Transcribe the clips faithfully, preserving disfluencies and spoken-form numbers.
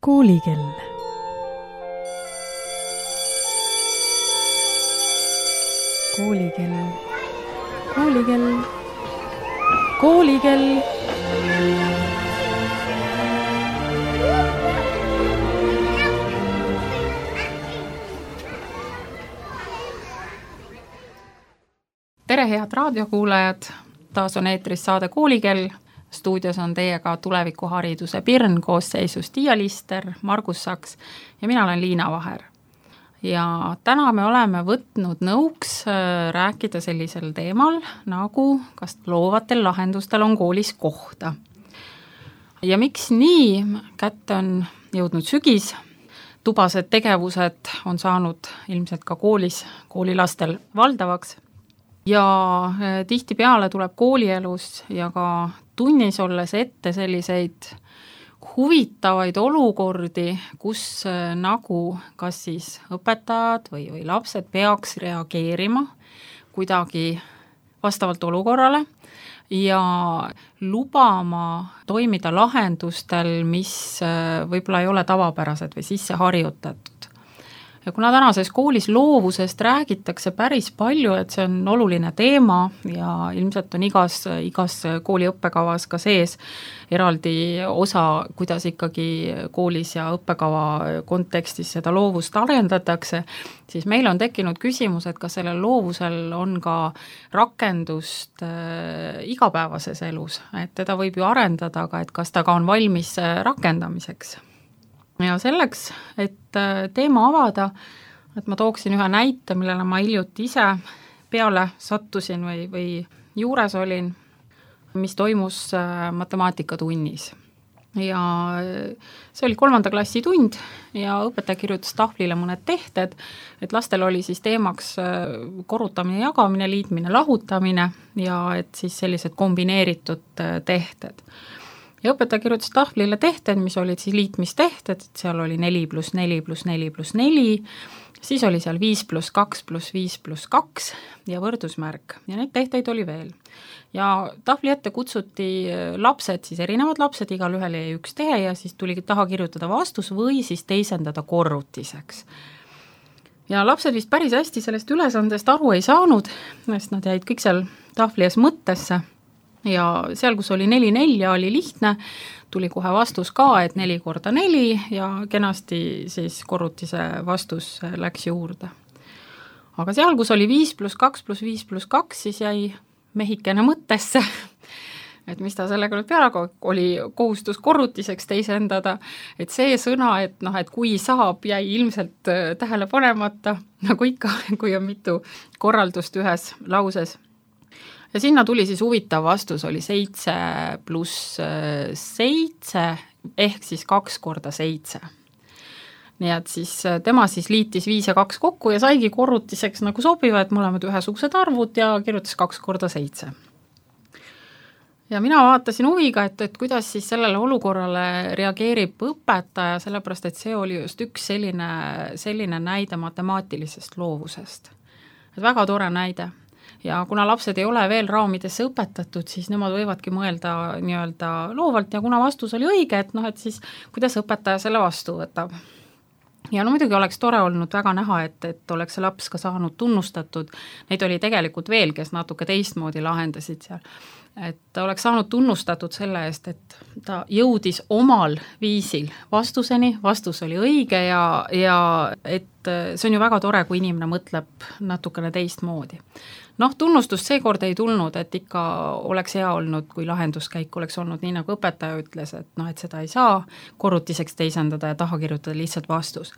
Koolikell. Koolikell. Koolikell. Koolikell. Tere, head raadiokuulajad! Taas on eetris saade Koolikell. Stuudios on teiega tulevikuhariduse Pirn koosseisus Tiia Lister, Margus Saks ja mina olen Liina Vaher. Ja täna me oleme võtnud nõuks rääkida sellisel teemal, nagu kas loovatel lahendustel on koolis kohta. Ja miks nii? Kätte on jõudnud sügis. Tubased tegevused on saanud ilmselt ka koolis, koolilastel valdavaks. Ja tihtipeale tuleb koolielus ja ka tunnis olles ette selliseid huvitavaid olukordi, kus nagu kas siis õpetajad või, või lapsed peaks reageerima kuidagi vastavalt olukorrale ja lubama toimida lahendustel, mis võib-olla ei ole tavapärased või sisse harjutatud. Ja kuna tänases koolis loovusest räägitakse päris palju, et see on oluline teema ja ilmselt on igas, igas kooli õppekavas ka sees eraldi osa, kuidas ikkagi koolis ja õppekava kontekstis seda loovust arendatakse, siis meil on tekkinud küsimus, et kas sellel loovusel on ka rakendust äh, igapäevases elus, et teda võib ju arendada, aga et kas ta ka on valmis rakendamiseks. Ja selleks, et teema avada, et ma tooksin ühe näite, millele ma hiljuti ise peale sattusin või, või juures olin, mis toimus matemaatikatunnis. Ja see oli kolmanda klassi tund ja õpetaja kirjutas tahvlile mõned tehted, et lastel oli siis teemaks korrutamine, jagamine, liitmine, lahutamine ja et siis sellised kombineeritud tehted. Ja õpetaja kirjutas tahvlile tehted, mis olid siis liitmistehted, et seal oli neli pluss neli pluss neli pluss neli, siis oli seal viis pluss kaks pluss viis pluss kaks ja võrdusmärk ja neid tehteid oli veel. Ja tahvli ette kutsuti lapsed, siis erinevad lapsed, igal ühel jäi üks tehe ja siis tuli taha kirjutada vastus või siis teisendada korrutiseks. Ja lapsed vist päris hästi sellest ülesandest aru ei saanud, sest nad jäid kõik seal tahvli ees mõttesse. Ja seal, kus oli neli nelja, oli lihtne, tuli kohe vastus ka, et neli korda neli ja kenasti siis korrutise vastus läks juurde. Aga seal, kus oli viis pluss kaks pluss viis pluss kaks, siis jäi mehikene mõttesse, et mis ta sellega nüüd peale oli kohustus korrutiseks teisendada, et see sõna, et, noh, et kui saab, jäi ilmselt tähele panemata, nagu ikka, kui on mitu korraldust ühes lauses. Ja sinna tuli siis huvitav vastus, oli seitse pluss seitse, ehk siis kaks korda seitse. Nii et siis tema siis liitis viis ja kaks kokku ja saigi korrutiseks nagu sobiva, et mõlemad ühesugused arvud ja kirjutas kaks korda seitse. Ja mina vaatasin huviga, et, et kuidas siis sellele olukorrale reageerib õpetaja, sellepärast et see oli just üks selline, selline näide matemaatilisest loovusest. Et väga tore näide. Ja kuna lapsed ei ole veel raamidesse õpetatud, siis nemad võivadki mõelda nii-öelda loovalt ja kuna vastus oli õige, et noh, et siis kuidas õpetaja selle vastu võtab. Ja no muidugi oleks tore olnud väga näha, et, et oleks see laps ka saanud tunnustatud, neid oli tegelikult veel, kes natuke teistmoodi lahendasid seal, et oleks saanud tunnustatud selle eest, et ta jõudis omal viisil vastuseni, vastus oli õige ja, ja et see on ju väga tore, kui inimene mõtleb natukene teistmoodi. Noh, tunnustust seekord ei tulnud, et ikka oleks hea olnud, kui lahenduskäik oleks olnud nii, nagu õpetaja ütles, et noh, et seda ei saa korrutiseks teisendada ja taha kirjutada lihtsalt vastus.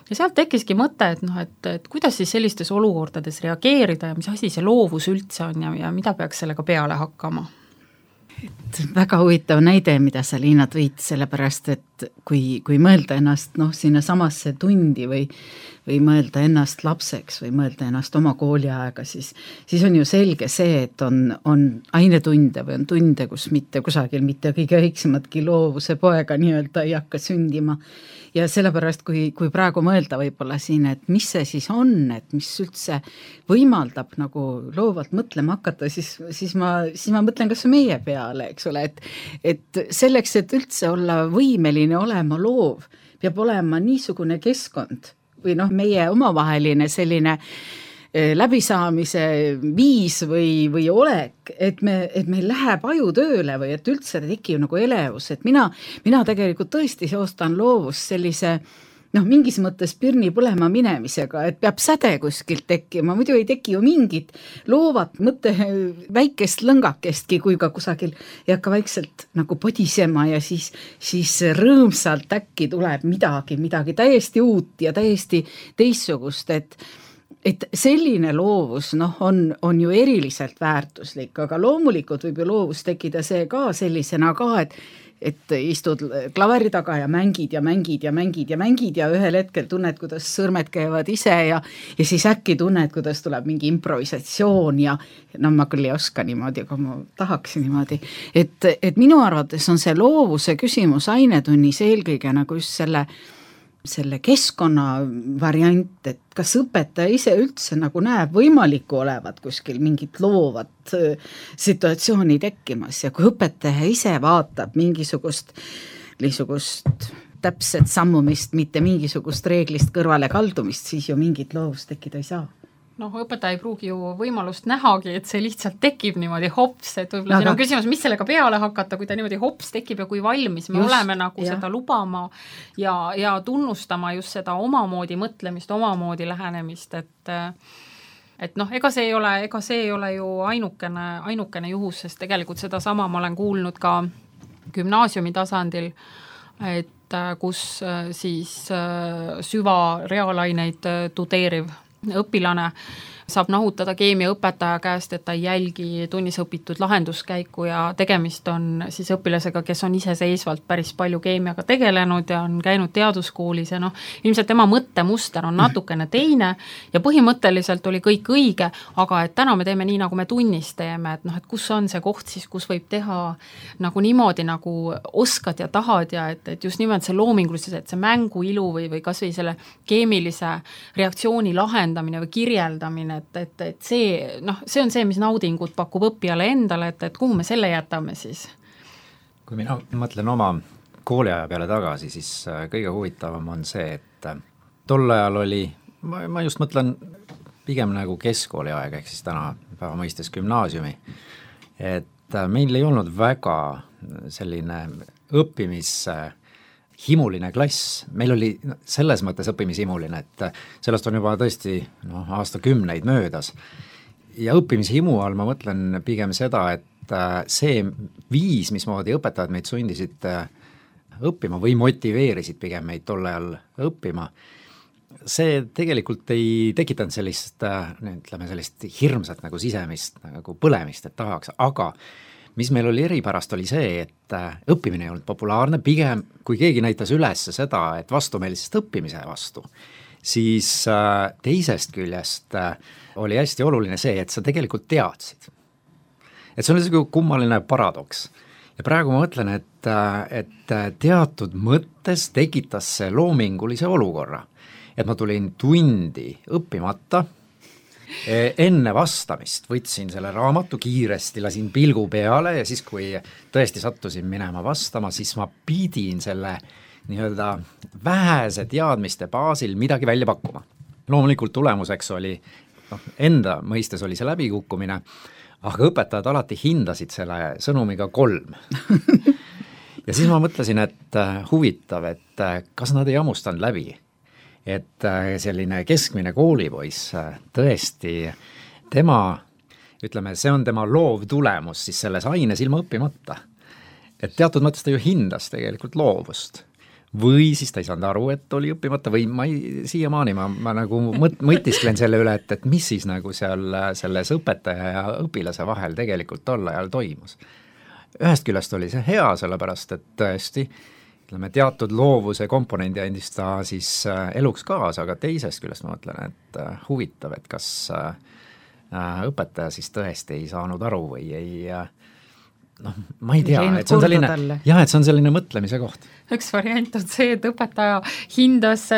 Ja sealt tekkiski mõte, et noh, et, et kuidas siis sellistes olukordades reageerida ja mis asi see loovus üldse on ja, ja mida peaks sellega peale hakkama. Et väga huvitav näide, mida sa, Liina, tõid, sellepärast, et kui, kui mõelda ennast noh, sinna samasse tundi või, või mõelda ennast lapseks või mõelda ennast oma kooliaega, siis, siis on ju selge see, et on, on ainetunde või on tunde, kus mitte kusagil mitte kõige õigsematki loovuse poega nii-öelda ei hakka sündima. Ja sellepärast, kui, kui praegu mõelda võib-olla siin, et mis see siis on, et mis üldse võimaldab nagu loovalt mõtlema hakata, siis, siis, ma, siis ma mõtlen kas meie peale, eks ole, et, et selleks, et üldse olla võimeline võimeline olema loov, peab olema niisugune keskkond või noh, meie omavaheline selline läbisaamise viis või, või olek, et me, et meil läheb aju tööle või et üldse tekib nagu elevus, et mina, mina tegelikult tõesti seostan loovust sellise noh, mingis mõttes pirni põlema minemisega, et peab säde kuskilt tekkima, muidu ei teki ju mingit loovat mõtte väikest lõngakestki, kui ka kusagil ei hakka vaikselt nagu podisema ja siis, siis rõõmsalt äkki tuleb midagi, midagi täiesti uut ja täiesti teistsugust, et et selline loovus noh, on, on ju eriliselt väärtuslik, aga loomulikult võib ju loovus tekkida see ka sellisena ka, et et istud klaveri taga ja mängid ja mängid ja mängid ja mängid ja ühel hetkel tunned, kuidas sõrmed käivad ise ja, ja siis äkki tunned, kuidas tuleb mingi improvisatsioon ja no ma küll ei oska niimoodi, aga ma tahaksin niimoodi. Et, et minu arvates on see loovuse küsimus ainetunnis eelkõige nagu just selle selle keskkonna variant, et kas õpetaja ise üldse nagu näeb võimalikku olevat kuskil mingit loovat situatsiooni tekkimas ja kui õpetaja ise vaatab mingisugust niisugust täpset sammumist, mitte mingisugust reeglist kõrvale kaldumist, siis ju mingit loovust tekkida ei saa. Noh, õpetaja ei pruugi ju võimalust nähagi, et see lihtsalt tekib niimoodi hops, et võib-olla siin on küsimus, mis sellega peale hakata, kui ta niimoodi hops tekib ja kui valmis me just, oleme nagu ja. Seda lubama ja, ja tunnustama just seda omamoodi mõtlemist, omamoodi lähenemist, et et noh, ega see ei ole, ega see ei ole ju ainukene, ainukene juhus, sest tegelikult seda sama ma olen kuulnud ka gümnaasiumi tasandil, et kus siis süva reaalaineid tudeeriv õpilane saab nahutada keemiaõpetaja käest, et ta ei jälgi tunnis õpitud lahenduskäiku ja tegemist on siis õpilasega, kes on iseseisvalt päris palju keemiaga tegelenud ja on käinud teaduskoolis ja noh, ilmselt tema mõttemuster on natukene teine ja põhimõtteliselt oli kõik õige, aga et täna me teeme nii, nagu me tunnis teeme, et noh, et kus on see koht siis, kus võib teha nagu niimoodi, nagu oskad ja tahad ja et, et just nimelt see loomingulisus, et see mängu ilu või, või kas või selle keemilise reaktsiooni lahendamine või kirjeldamine, et, et, et see, noh, see on see, mis naudingut pakub õppijale endale, et, et kuhu me selle jätame siis? Kui mina mõtlen oma kooliaja peale tagasi, siis kõige huvitavam on see, et tol ajal oli, ma, ma just mõtlen pigem nagu keskkooli aeg, ehk siis tänapäeva mõistes gümnaasiumi, et meil ei olnud väga selline õppimis himuline klass, meil oli selles mõttes õppimishimuline, et sellest on juba tõesti no, aastakümneid möödas ja õppimishimu all ma mõtlen pigem seda, et see viis, mismoodi õpetajad meid sundisid õppima või motiveerisid pigem meid tol ajal õppima, see tegelikult ei tekitanud sellist, ütleme sellist hirmsat nagu sisemist nagu põlemist, et tahaks, aga mis meil oli eripärast, oli see, et õppimine ei olnud populaarne, pigem kui keegi näitas üles seda, et vastumeelsest õppimise vastu, siis teisest küljest oli hästi oluline see, et sa tegelikult teadsid. Et see on selline kummaline paradoks. Ja praegu ma mõtlen, et, et teatud mõttes tekitas see loomingulise olukorra, et ma tulin tundi õppimata, enne vastamist võtsin selle raamatu kiiresti, lasin pilgu peale ja siis, kui tõesti sattusin minema vastama, siis ma pidin selle nii-öelda vähese teadmiste baasil midagi välja pakkuma. Loomulikult tulemuseks oli, noh, enda mõistes oli see läbikukkumine, aga õpetajad alati hindasid selle sõnumiga kolm. Ja siis ma mõtlesin, et huvitav, et kas nad ei hammustanud läbi. Et selline keskmine koolipoiss tõesti, tema, ütleme, see on tema loov tulemus siis selles aines ilma õppimata. Et teatud mõttes ta ju hindas tegelikult loovust. Või siis ta ei saanud aru, et oli õppimata või ma ei, siiamaani ma, ma nagu mõt, mõtisklen selle üle, et, et mis siis nagu seal selles õpetaja ja õpilase vahel tegelikult tol ajal toimus. Ühest küljest oli see hea, sellepärast et tõesti ütleme, teatud loovuse komponendi andis ta siis eluks kaasa, aga teisest küljest ma mõtlen, et huvitav, et kas õpetaja siis tõesti ei saanud aru või ei, noh, ma ei tea, et see on selline, jah, et see on selline mõtlemise koht. üks variant on see, et õpetaja hindas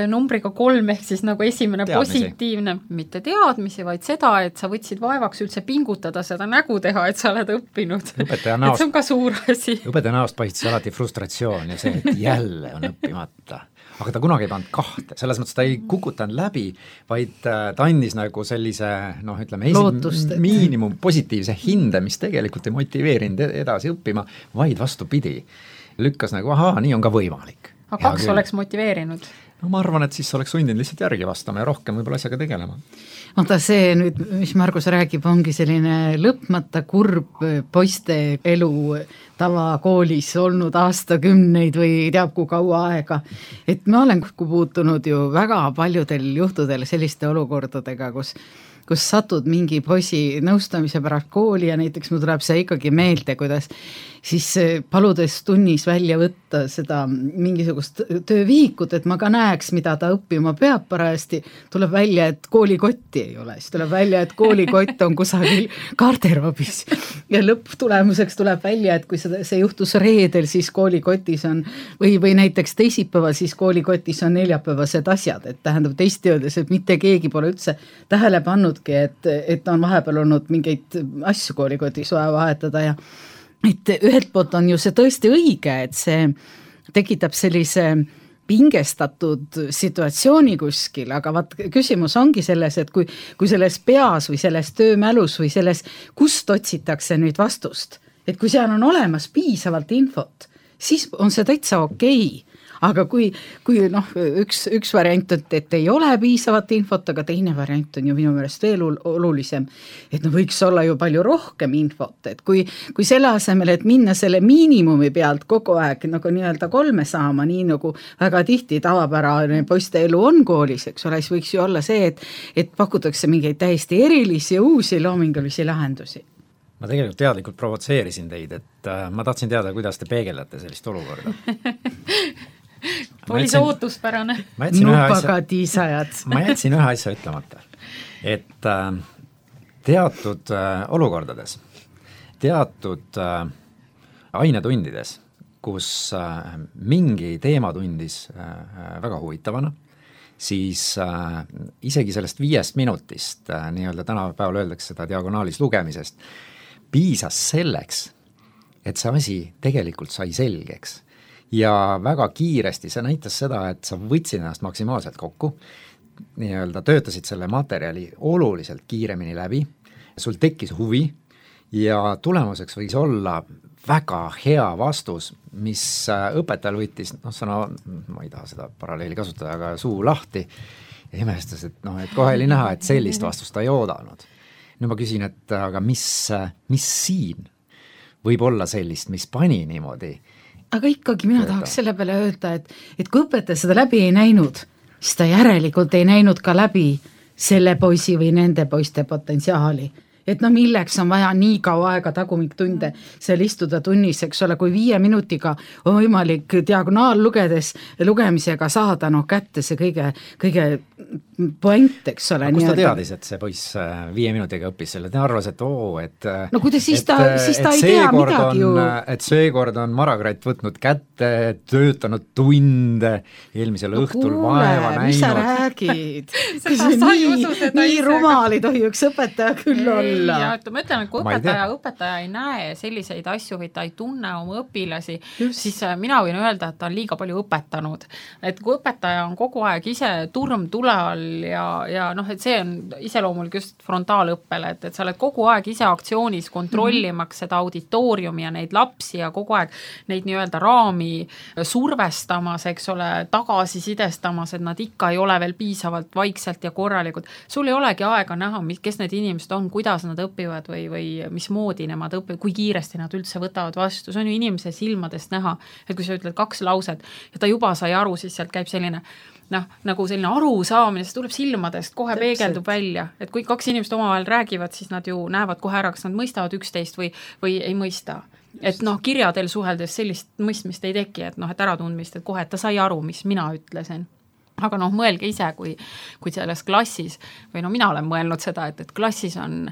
numbriga kolm ehk siis nagu esimene teadmisi. Positiivne, mitte teadmisi, vaid seda, et sa võtsid vaevaks üldse pingutada seda nägu teha, et sa oled õppinud. Õpetaja näost, see on ka suur asi. Õpetaja näost paistis alati frustratsioon ja see, et jälle on õppimata. Aga ta kunagi ei pannud kahte, selles mõttes ta ei kukutanud läbi, vaid ta andis nagu sellise, noh, ütleme, Lootust, et... miinimum positiivse hinde, mis tegelikult ei motiveerinud edasi õppima, vaid vastupidi. Lükkas nagu, ahaa, nii on ka võimalik. Aga kaks oleks motiveerinud? No ma arvan, et siis oleks sundinud lihtsalt järgi vastama ja rohkem võib-olla asjaga tegelema. Oota, see nüüd, mis Margus räägib, ongi selline lõpmata kurb poiste elu tavakoolis olnud aastakümneid või teab kui kaua aega. Et ma olen puutunud ju väga paljudel juhtudel selliste olukordadega, kus kus satud mingi poisi nõustamise pärast kooli ja näiteks mul tuleb see ikkagi meelde, kuidas siis paludes tunnis välja võtta seda mingisugust töövihikut, et ma ka näeks, mida ta õppima peab parajasti, tuleb välja, et koolikotti ei ole, siis tuleb välja, et koolikott on kusagil garderoobis ja lõpptulemuseks tuleb välja, et kui seda, see juhtus reedel, siis koolikotis on või, või näiteks teisipäeval, siis koolikotis on neljapäevased asjad, et tähendab teist öeldes, et mitte keegi pole üldse tähele pannud, et, et on vahepeal olnud mingeid asju koolikotis vaja vahetada ja et ühelt poolt on ju see tõesti õige, et see tekitab sellise pingestatud situatsiooni kuskil, aga vaat küsimus ongi selles, et kui, kui selles peas või selles töömälus või selles, kust otsitakse nüüd vastust, et kui seal on olemas piisavalt infot, siis on see täitsa okei. Aga kui, kui noh, üks, üks variant, et, et ei ole piisavat infot, aga teine variant on ju minu meelest veel olulisem, et no võiks olla ju palju rohkem infot, et kui, kui selle asemel, et minna selle miinimumi pealt kogu aeg nagu nii-öelda kolme saama, nii nagu väga tihti tavapärane poiste elu on koolis, eks ole, siis võiks ju olla see, et, et pakutakse mingeid täiesti erilisi uusi loomingulisi lahendusi. Ma tegelikult teadlikult provotseerisin teid, et äh, ma tahtsin teada, kuidas te peegeldate sellist olukorda. Oli see ootuspärane. Ma jätsin, ühe asja, ma jätsin ühe asja ütlemata, et äh, teatud äh, olukordades, teatud äh, ainetundides, kus äh, mingi teema tundis äh, väga huvitavana, siis äh, isegi sellest viiest minutist, äh, nii-öelda tänapäeval öeldakse seda diagonaalis lugemisest, piisas selleks, et see asi tegelikult sai selgeks. Ja väga kiiresti see näitas seda, et sa võtsid ennast maksimaalselt kokku, nii-öelda töötasid selle materjali oluliselt kiiremini läbi, sul tekkis huvi ja tulemuseks võis olla väga hea vastus, mis õpetajal võttis, noh, sõna, ma ei taha seda paralleeli kasutada, aga suu lahti ja imestas, et, noh, et kohe oli näha, et sellist vastust ta ei oodanud. Nüüd ma küsin, et aga mis, mis siin võib olla sellist, mis pani niimoodi? Aga ikkagi mina tahaks selle peale öelda, et, et kui õpetaja seda läbi ei näinud, siis ta järelikult ei näinud ka läbi selle poisi või nende poiste potentsiaali. Et no milleks on vaja nii kaua aega tagumiktunde seal istuda tunnis, eks ole, kui viie minutiga on võimalik diagonaal lugedes lugemisega saada noh kätte see kõige, kõige point, eks ole. Kus ta teadis, et see poiss viie minutiga õppis selle, ta arvas, et oo, et no kuidas siis ta, et, siis ta ei tea midagi ju. Et seekord on Maragratt võtnud kätte, töötanud tunde, eelmisel no, õhtul kuule, vaeva näinud. Mis sa räägid? nii, nii rumal ei tohi üks õpetaja küll olla. Ja ma ütlen, et kui õpetaja, õpetaja ei näe selliseid asju või ta ei tunne oma õpilasi, just. Siis mina võin öelda, et ta on liiga palju õpetanud. Et kui õpetaja on kogu aeg ise turm tule all ja, ja noh, et see on iseloomulik just frontaalõppele, et, et sa oled kogu aeg ise aktsioonis kontrollimaks mm-hmm. seda auditooriumi ja neid lapsi ja kogu aeg neid nii-öelda raami survestamas, eks ole, tagasisidestamas, et nad ikka ei ole veel piisavalt vaikselt ja korralikud. Sul ei olegi aega näha, kes need inimesed on, kuidas nad õpivad või, või mismoodi nemad õpivad, kui kiiresti nad üldse võtavad vastu. See on ju inimese silmadest näha, et kui sa ütled kaks lauset ja ta juba sai aru, siis sealt käib selline noh, nagu selline arusaamine, see tuleb silmadest, kohe Täpselt. Peegeldub välja. Et kui kaks inimest omavahel räägivad, siis nad ju näevad kohe ära, kas nad mõistavad üksteist või, või ei mõista. Et noh, kirjadel suheldes sellist mõistmist ei teki, et noh, et äratundmist, et kohe, et ta sai aru, mis mina ütlesin. aga noh, mõelge ise, kui, kui selles klassis, või no mina olen mõelnud seda, et, et klassis on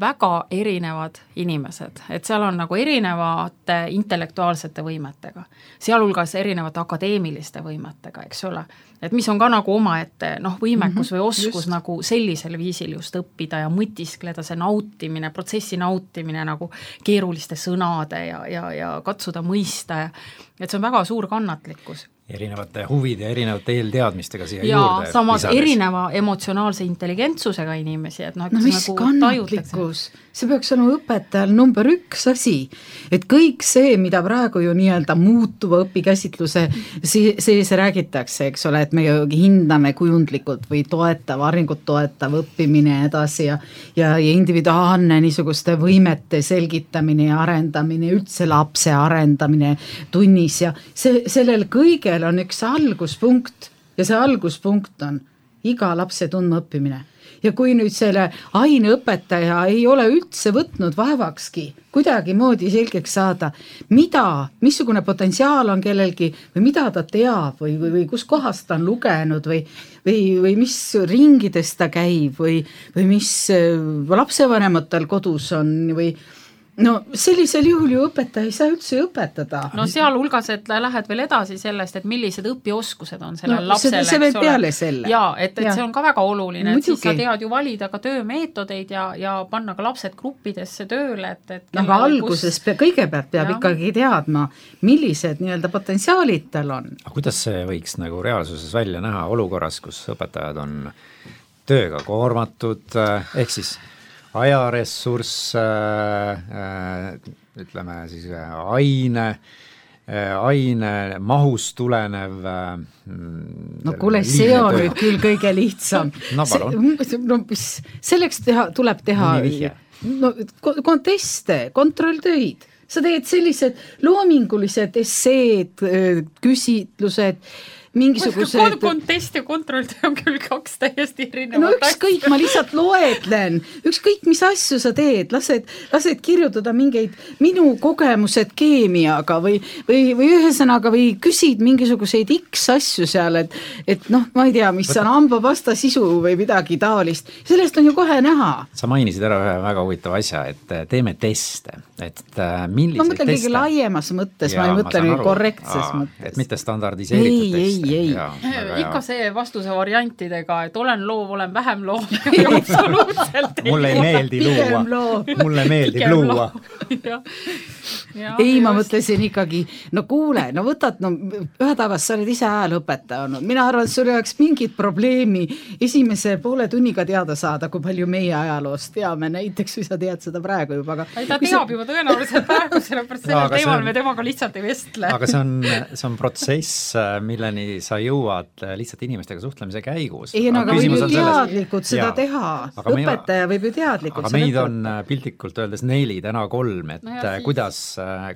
väga erinevad inimesed, et seal on nagu erinevate intellektuaalsete võimetega, sealhulgas erinevate akadeemiliste võimetega, eks ole, et mis on ka nagu omaette noh, võimekus või oskus just. Nagu sellisel viisil just õppida ja mõtiskleda, see nautimine, protsessi nautimine nagu keeruliste sõnade ja, ja, ja katsuda mõista, et see on väga suur kannatlikkus. Erinevate huvide ja erinevate eelteadmistega siia ja, juurde. Ja samas lisades. Erineva emotsionaalse intelligentsusega inimesi, et noh, no mis nagu kannatlikkus, see peaks olema õpetajal number üks asi, et kõik see, mida praegu ju nii-öelda muutuva õpikäsitluse sees räägitakse, eks ole, et me hindame kujundlikult või toetav, arengut toetav õppimine edasi ja, ja, ja individuaalne niisuguste võimete selgitamine ja arendamine, üldse lapse arendamine tunnis ja see, sellel kõigel on üks alguspunkt ja see alguspunkt on iga lapse tundma õppimine. Ja kui nüüd selle aineõpetaja ei ole üldse võtnud vaevakski kuidagi moodi selgeks saada, mida, missugune potentsiaal on kellelgi või mida ta teab või, või, või kus kohast ta on lugenud või, või, või mis ringides ta käib või, või mis lapsevanematel kodus on või no sellisel juhul ju õpetaja ei saa üldse õpetada. No sealhulgas, et lähed veel edasi sellest, et millised õpioskused on sellel no, lapsele. See veel peale selle. Jaa, et, et ja. See on ka väga oluline, et siis sa tead ju valida ka töömeetodeid ja, ja panna ka lapsed gruppidesse tööle. Et, et aga alguses kus... kõigepealt peab ja. Ikkagi teadma, millised nii-öelda potentsiaalid tal on. Aga kuidas see võiks nagu reaalsuses välja näha olukorras, kus õpetajad on tööga koormatud, ehk siis ajaressurss, ütleme siis aine, aine mahust tulenev no kuule, see on nüüd küll kõige lihtsam. No, see, no, selleks teha, tuleb teha no, konteste, kontrolltöid. Sa teed sellised loomingulised esseed, küsitlused, mingisugused... Kontest ja kontrolltöö on küll kaks täiesti erinevat no ükskõik, ma lihtsalt loetlen, ükskõik mis asju sa teed, lased, lased kirjutada mingeid minu kogemused keemiaga või, või, või ühesõnaga või küsid mingisuguseid X asju seal, et, et noh, ma ei tea, mis Võta. On hambapasta sisu või midagi taolist, sellest on ju kohe näha. Sa mainisid ära ühe väga huvitava asja, et teeme teste, et milliseid ma mõtlen kõige laiemas mõttes, ja, ma ei mõtle nüüd korrektses Aa, mõttes. Et mitte standardiseeritud ei, teste. Ei, ei. Ja, ikka see vastuse variantidega, et olen loov, olen vähem loov absoluutselt ei. Mulle ei meeldi luua, mulle meeldib luua. ja, ja, ei, ma mõtlesin ikkagi, no kuule, no võtad, no ühe tavas sa oled ise ajalõpetaja olnud, mina arvan, et sul oleks mingit probleemi esimese poole tunniga teada saada, kui palju meie ajaloost teame, näiteks kui sa tead seda praegu juba. Aga, ei, ta teab sa... juba tõenäoliselt praegu, sellepärast sellel no, teemal on... me temaga lihtsalt ei vestle. Aga see on, see on protsess, milleni sa jõuad lihtsalt inimestega suhtlemise käigus. ei, no aga võib ju teadlikult selles... seda ja. Teha. Õpetaja võib ju teadlikult aga meid on piltlikult öeldes neli, täna kolm, et no kuidas,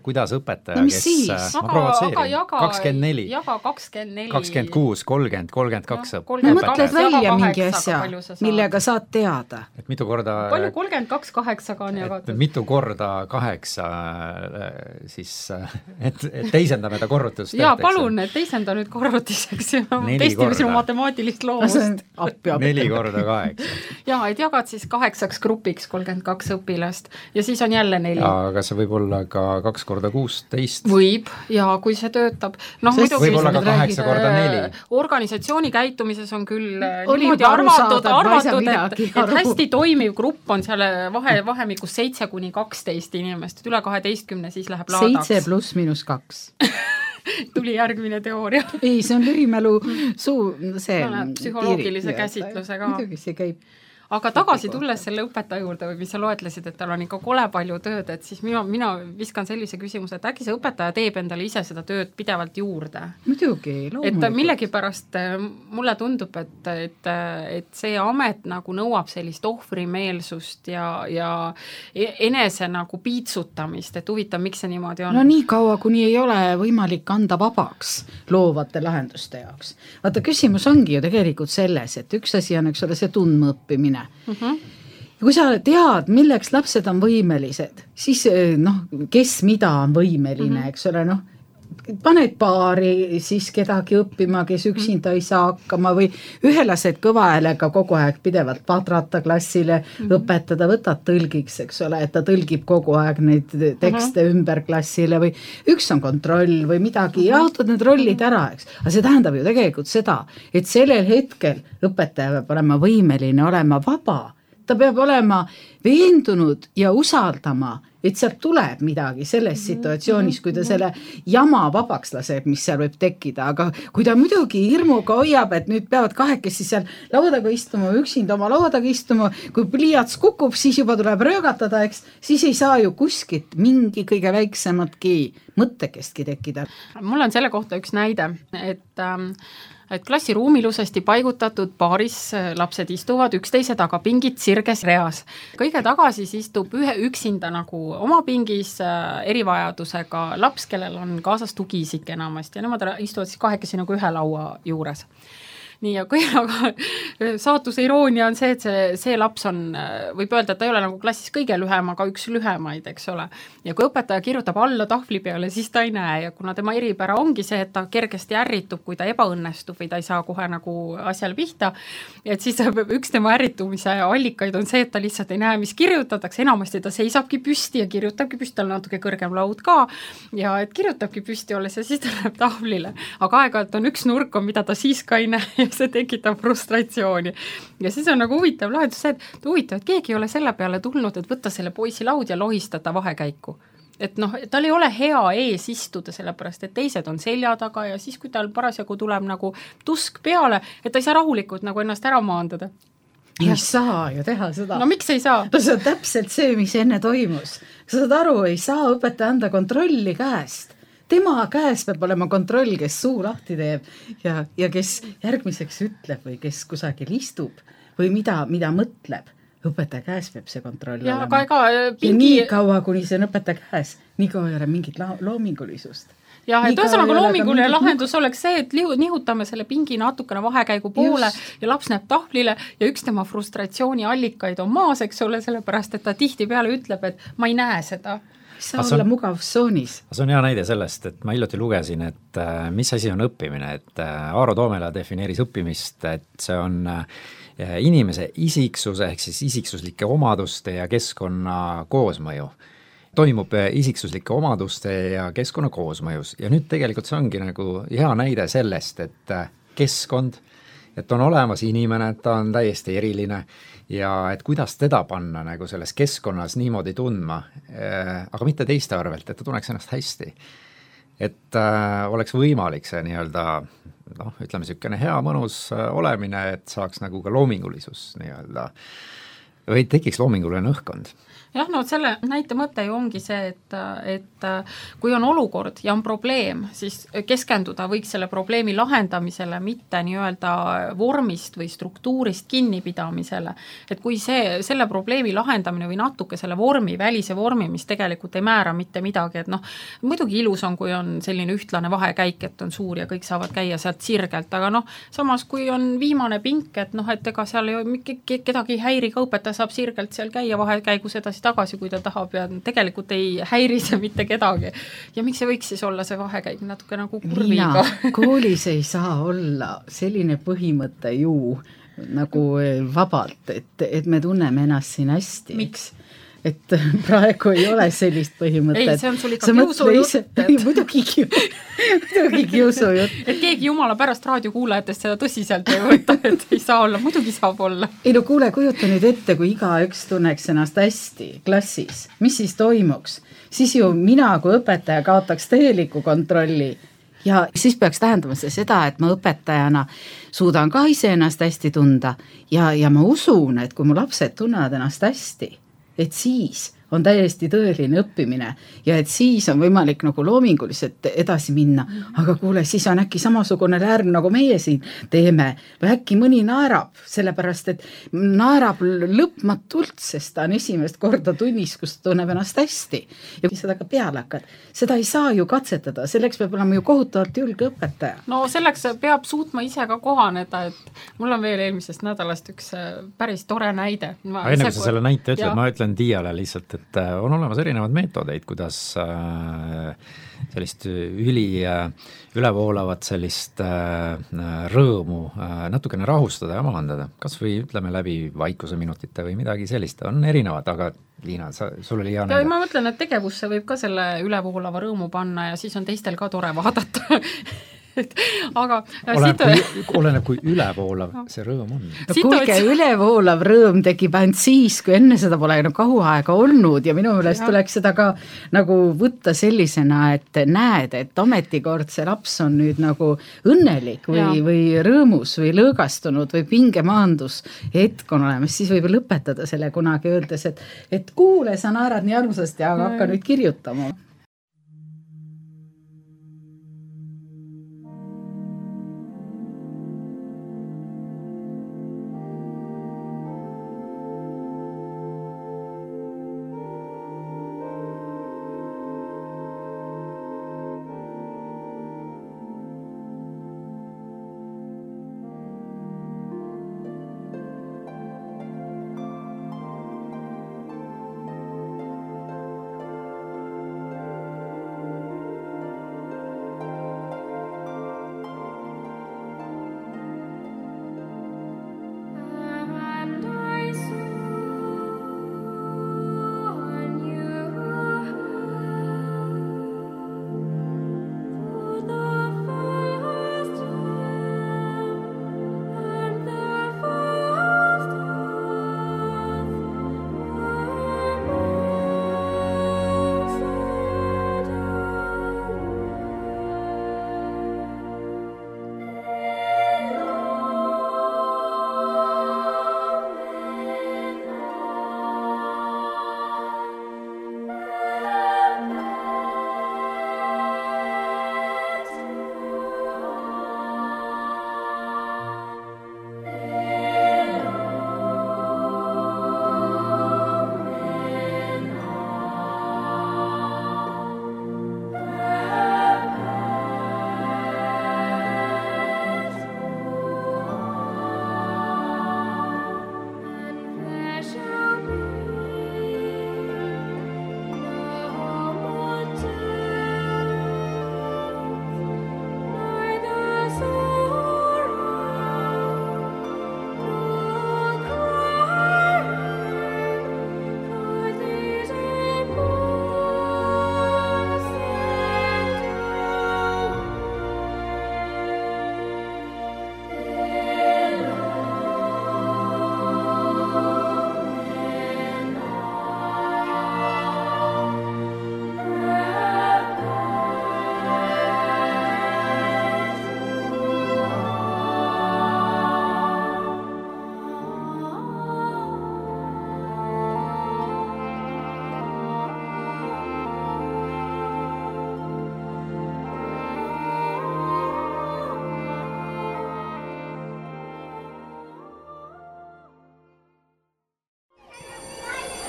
kuidas õpetaja, no, kes siis? ma provotseerin, kakskümmend neli, jaga kakskümmend neli, kakskümmend kuus, kolmkümmend, kolmkümmend kaks õpp. no mõtled välja mingi asja, millega saad teada. Et mitu korda... palju kolmkümmend kaks kaheksaga on jagatud? Mitu korda kaheksa, siis et, et teisendame ta korrutust. Jaa, palun, et teisenda nüüd korrutiseks ja testime sinu matemaatilist loomust. Neli korda kaheksa. Jaa, et jagad siis kaheksaks grupiks kolmkümmend kaks õpilast ja siis on jälle neli. Aga see võib olla ka kaks korda kuusteist. Võib, ja kui see töötab. No, võib olla ka kaheksa korda neli. Organisatsiooni käitumises on küll Oli niimoodi arvatud, arvatud et, et hästi toimiv grupp on seal vahe, vahemikus seitse kuni kaksteist inimest, üle kaheteistkümne siis läheb laadaks. seitse pluss miinus kaks. Tuli järgmine teooria. ei, see on lühimälu suu, see no, psühholoogilise tiir, käsitlusega. Muidugi see käib. Aga tagasi tulles selle õpetaja juurde või mis sa loetlesid, et tal on ikka kole palju tööd, et siis mina, mina viskan sellise küsimuse, et äkki see õpetaja teeb endale ise seda tööd pidevalt juurde. Muidugi, loomulikult. Et millegipärast mulle tundub, et, et, et see amet nagu nõuab sellist ohvrimeelsust ja, ja enese nagu piitsutamist, et huvitav, miks see niimoodi on? No nii kaua, kuni ei ole võimalik anda vabaks loovate lahenduste jaoks. Vaata, küsimus ongi ju tegelikult selles, et üks asi on, eks ole, see tundmaõppimine. Mm -hmm. ja kui sa tead, milleks lapsed on võimelised, siis noh, kes mida on võimeline, mm -hmm. eks ole, noh, paned paari siis kedagi õppima, kes üksinda ei saa hakkama või ühe lased kõva häälega kogu aeg pidevalt padrata klassile mm -hmm. õpetada, võtad tõlgiks, eks ole, et ta tõlgib kogu aeg neid tekste mm -hmm. ümber klassile või üks on kontroll või midagi, jaotad need rollid ära, eks. Aga see tähendab ju tegelikult seda, et sellel hetkel õpetaja peab olema võimeline olema vaba, ta peab olema veendunud ja usaldama, et sealt tuleb midagi selles situatsioonis, kui ta selle jama vabaks laseb, mis seal võib tekkida, aga kui ta muidugi hirmuga hoiab, et nüüd peavad kahekesi seal laua taga istuma, üksinda oma laua taga istuma, kui pliiats kukub, siis juba tuleb röögatada, eks, siis ei saa ju kuskilt mingi kõige väiksematki mõttekestki tekkida. Mul on selle kohta üks näide, et ähm, et klassiruum ilusasti paigutatud, paaris lapsed istuvad üksteise taga, pingid sirges reas. Kõige tagasi siis istub ühe üksinda nagu oma pingis erivajadusega laps, kellel on kaasas tugiisik enamasti ja nemad istuvad siis kahekesi nagu ühe laua juures. Nii, ja kui aga saatuse iroonia on see, et see, see laps on, võib öelda, et ta ei ole nagu klassis kõige lühem, aga üks lühemaid, eks ole. Ja kui õpetaja kirjutab alla tahvli peale, siis ta ei näe ja kuna tema eripära ongi see, et ta kergesti ärritub, kui ta ebaõnnestub või ta ei saa kohe nagu asjale pihta, et siis üks tema ärritumise allikaid on see, et ta lihtsalt ei näe, mis kirjutatakse, enamasti ta seisabki püsti ja kirjutabki püsti, tal on natuke kõrgem laud ka ja et kirjutabki püsti olles ja siis ta läheb tahvlile, aga aeg-ajalt on üks nurk, mida ta siis ka ei näe ja see tekitab frustratsiooni. Ja siis on nagu huvitav lahendus see, et huvitav, et keegi ei ole selle peale tulnud, et võtta selle poisi laud ja lohistada vahekäiku. Et noh, tal ei ole hea ees istuda, sellepärast, et teised on selja taga ja siis, kui tal parasjagu tuleb nagu tusk peale, et ta ei saa rahulikult nagu ennast ära maandada. Ei ja. saa ju teha seda. No miks ei saa? No see on täpselt see, mis enne toimus. Sa saad aru, ei saa õpetaja anda kontrolli käest. Tema käes peab olema kontroll, kes suu lahti teeb ja, ja kes järgmiseks ütleb või kes kusagil istub või mida, mida mõtleb. Õpetaja käes peab see kontroll ja, olema. Ega, pingi... Ja nii kaua, kuni see on õpetaja käes, nii kaua ei ole mingit loomingulisust. jah, et ühesõnaga loominguline lahendus mõt... oleks see, et lihu, nihutame selle pingi natukene vahekäigu poole Just. ja laps näeb tahvlile ja üks tema frustratsiooni allikaid on maas, eks ole, sellepärast, et ta tihti peale ütleb, et ma ei näe seda. Saa olla on, mugavsoonis. See on hea näide sellest, et ma hiljuti lugesin, et äh, mis asi on õppimine, et äh, Aaro Toomela defineeris õppimist, et see on äh, inimese isiksuse ehk siis isiksuslike omaduste ja keskkonna koosmõju. Toimub isiksuslike omaduste ja keskkonna koosmõjus ja nüüd tegelikult see ongi nagu hea näide sellest, et keskkond, et on olemas inimene, et ta on täiesti eriline ja et kuidas teda panna nagu selles keskkonnas niimoodi tundma, aga mitte teiste arvelt, et ta tunneks ennast hästi. Et äh, oleks võimalik see nii-öelda, noh, ütleme niisugune hea mõnus olemine, et saaks nagu ka loomingulisus nii-öelda, või tekiks loominguline õhkkond. Jah, no selle näite mõte ju ongi see, et, et kui on olukord ja on probleem, siis keskenduda võiks selle probleemi lahendamisele, mitte nii-öelda vormist või struktuurist kinnipidamisele. Et kui see, selle probleemi lahendamine või natuke selle vormi, välise vormi, mis tegelikult ei määra mitte midagi, et noh, muidugi ilus on, kui on selline ühtlane vahekäik, et on suur ja kõik saavad käia sealt sirgelt, aga noh, samas kui on viimane pink, et noh, et ega seal ju kedagi häiri ka õpetaja saab sirgelt seal käia vahekäigus edasi tagasi, kui ta tahab ja tegelikult ei häiri see mitte kedagi. Ja miks see võiks siis olla see vahekäik natuke nagu kurviga? Koolis ei saa olla selline põhimõte ju nagu vabalt, et, et me tunneme ennast siin hästi. Miks? Et praegu ei ole sellist põhimõtet. Ei, see on sul ikka kiusujutt. Ei, muidugi, muidugi kiusujutt. Et keegi jumala pärast raadiokuulajatest seda tõsiselt ei võtta, et ei saa olla, muidugi saab olla. Ei no kuule, kujuta nüüd ette, kui iga üks tunneks ennast hästi klassis. Mis siis toimuks? Siis ju mina kui õpetaja kaotaks täieliku kontrolli. Ja siis peaks tähendama see seda, et ma õpetajana suudan ka ise ennast hästi tunda ja, ja ma usun, et kui mu lapsed tunnevad ennast hästi, et siis on täiesti tõeline õppimine ja et siis on võimalik nagu loominguliselt edasi minna. Aga kuule, siis on äkki samasugune lärm, nagu meie siin teeme. Või äkki mõni naerab, sellepärast et naerab lõpmatult, sest ta on esimest korda tunnis, kus ta tunneb ennast hästi. Ja kui seda ka peale hakkad, seda ei saa ju katsetada, selleks peab olema ju kohutavalt julge õpetaja. No selleks peab suutma ise ka kohaneda, et mul on veel eelmisest nädalast üks päris tore näide. Ma enne kui sa selle näite ütled, ma ütlen Tiiale lihtsalt, et et on olemas erinevad meetodeid, kuidas sellist üli ülevoolavat sellist rõõmu natukene rahustada ja maandada, kas või ütleme läbi vaikuse minutite või midagi sellist, on erinevad, aga Liina, sa, sul oli hea näide. Ma mõtlen, et tegevusse võib ka selle ülevoolava rõõmu panna ja siis on teistel ka tore vaadata. aga oleneb, situ... kui, oleneb, kui ülevoolav see rõõm on. No kuulge, ülevoolav rõõm tekib ainult siis, kui enne seda pole no kahuaega olnud ja minu meelest tuleks seda ka nagu võtta sellisena, et näed, et ametikord see laps on nüüd nagu õnnelik või, või rõõmus või lõõgastunud või pingemaandus hetk on olemas, siis võib lõpetada selle kunagi öeldes, et, et kuule, sa naerad nii armsasti, aga hakka nüüd kirjutama.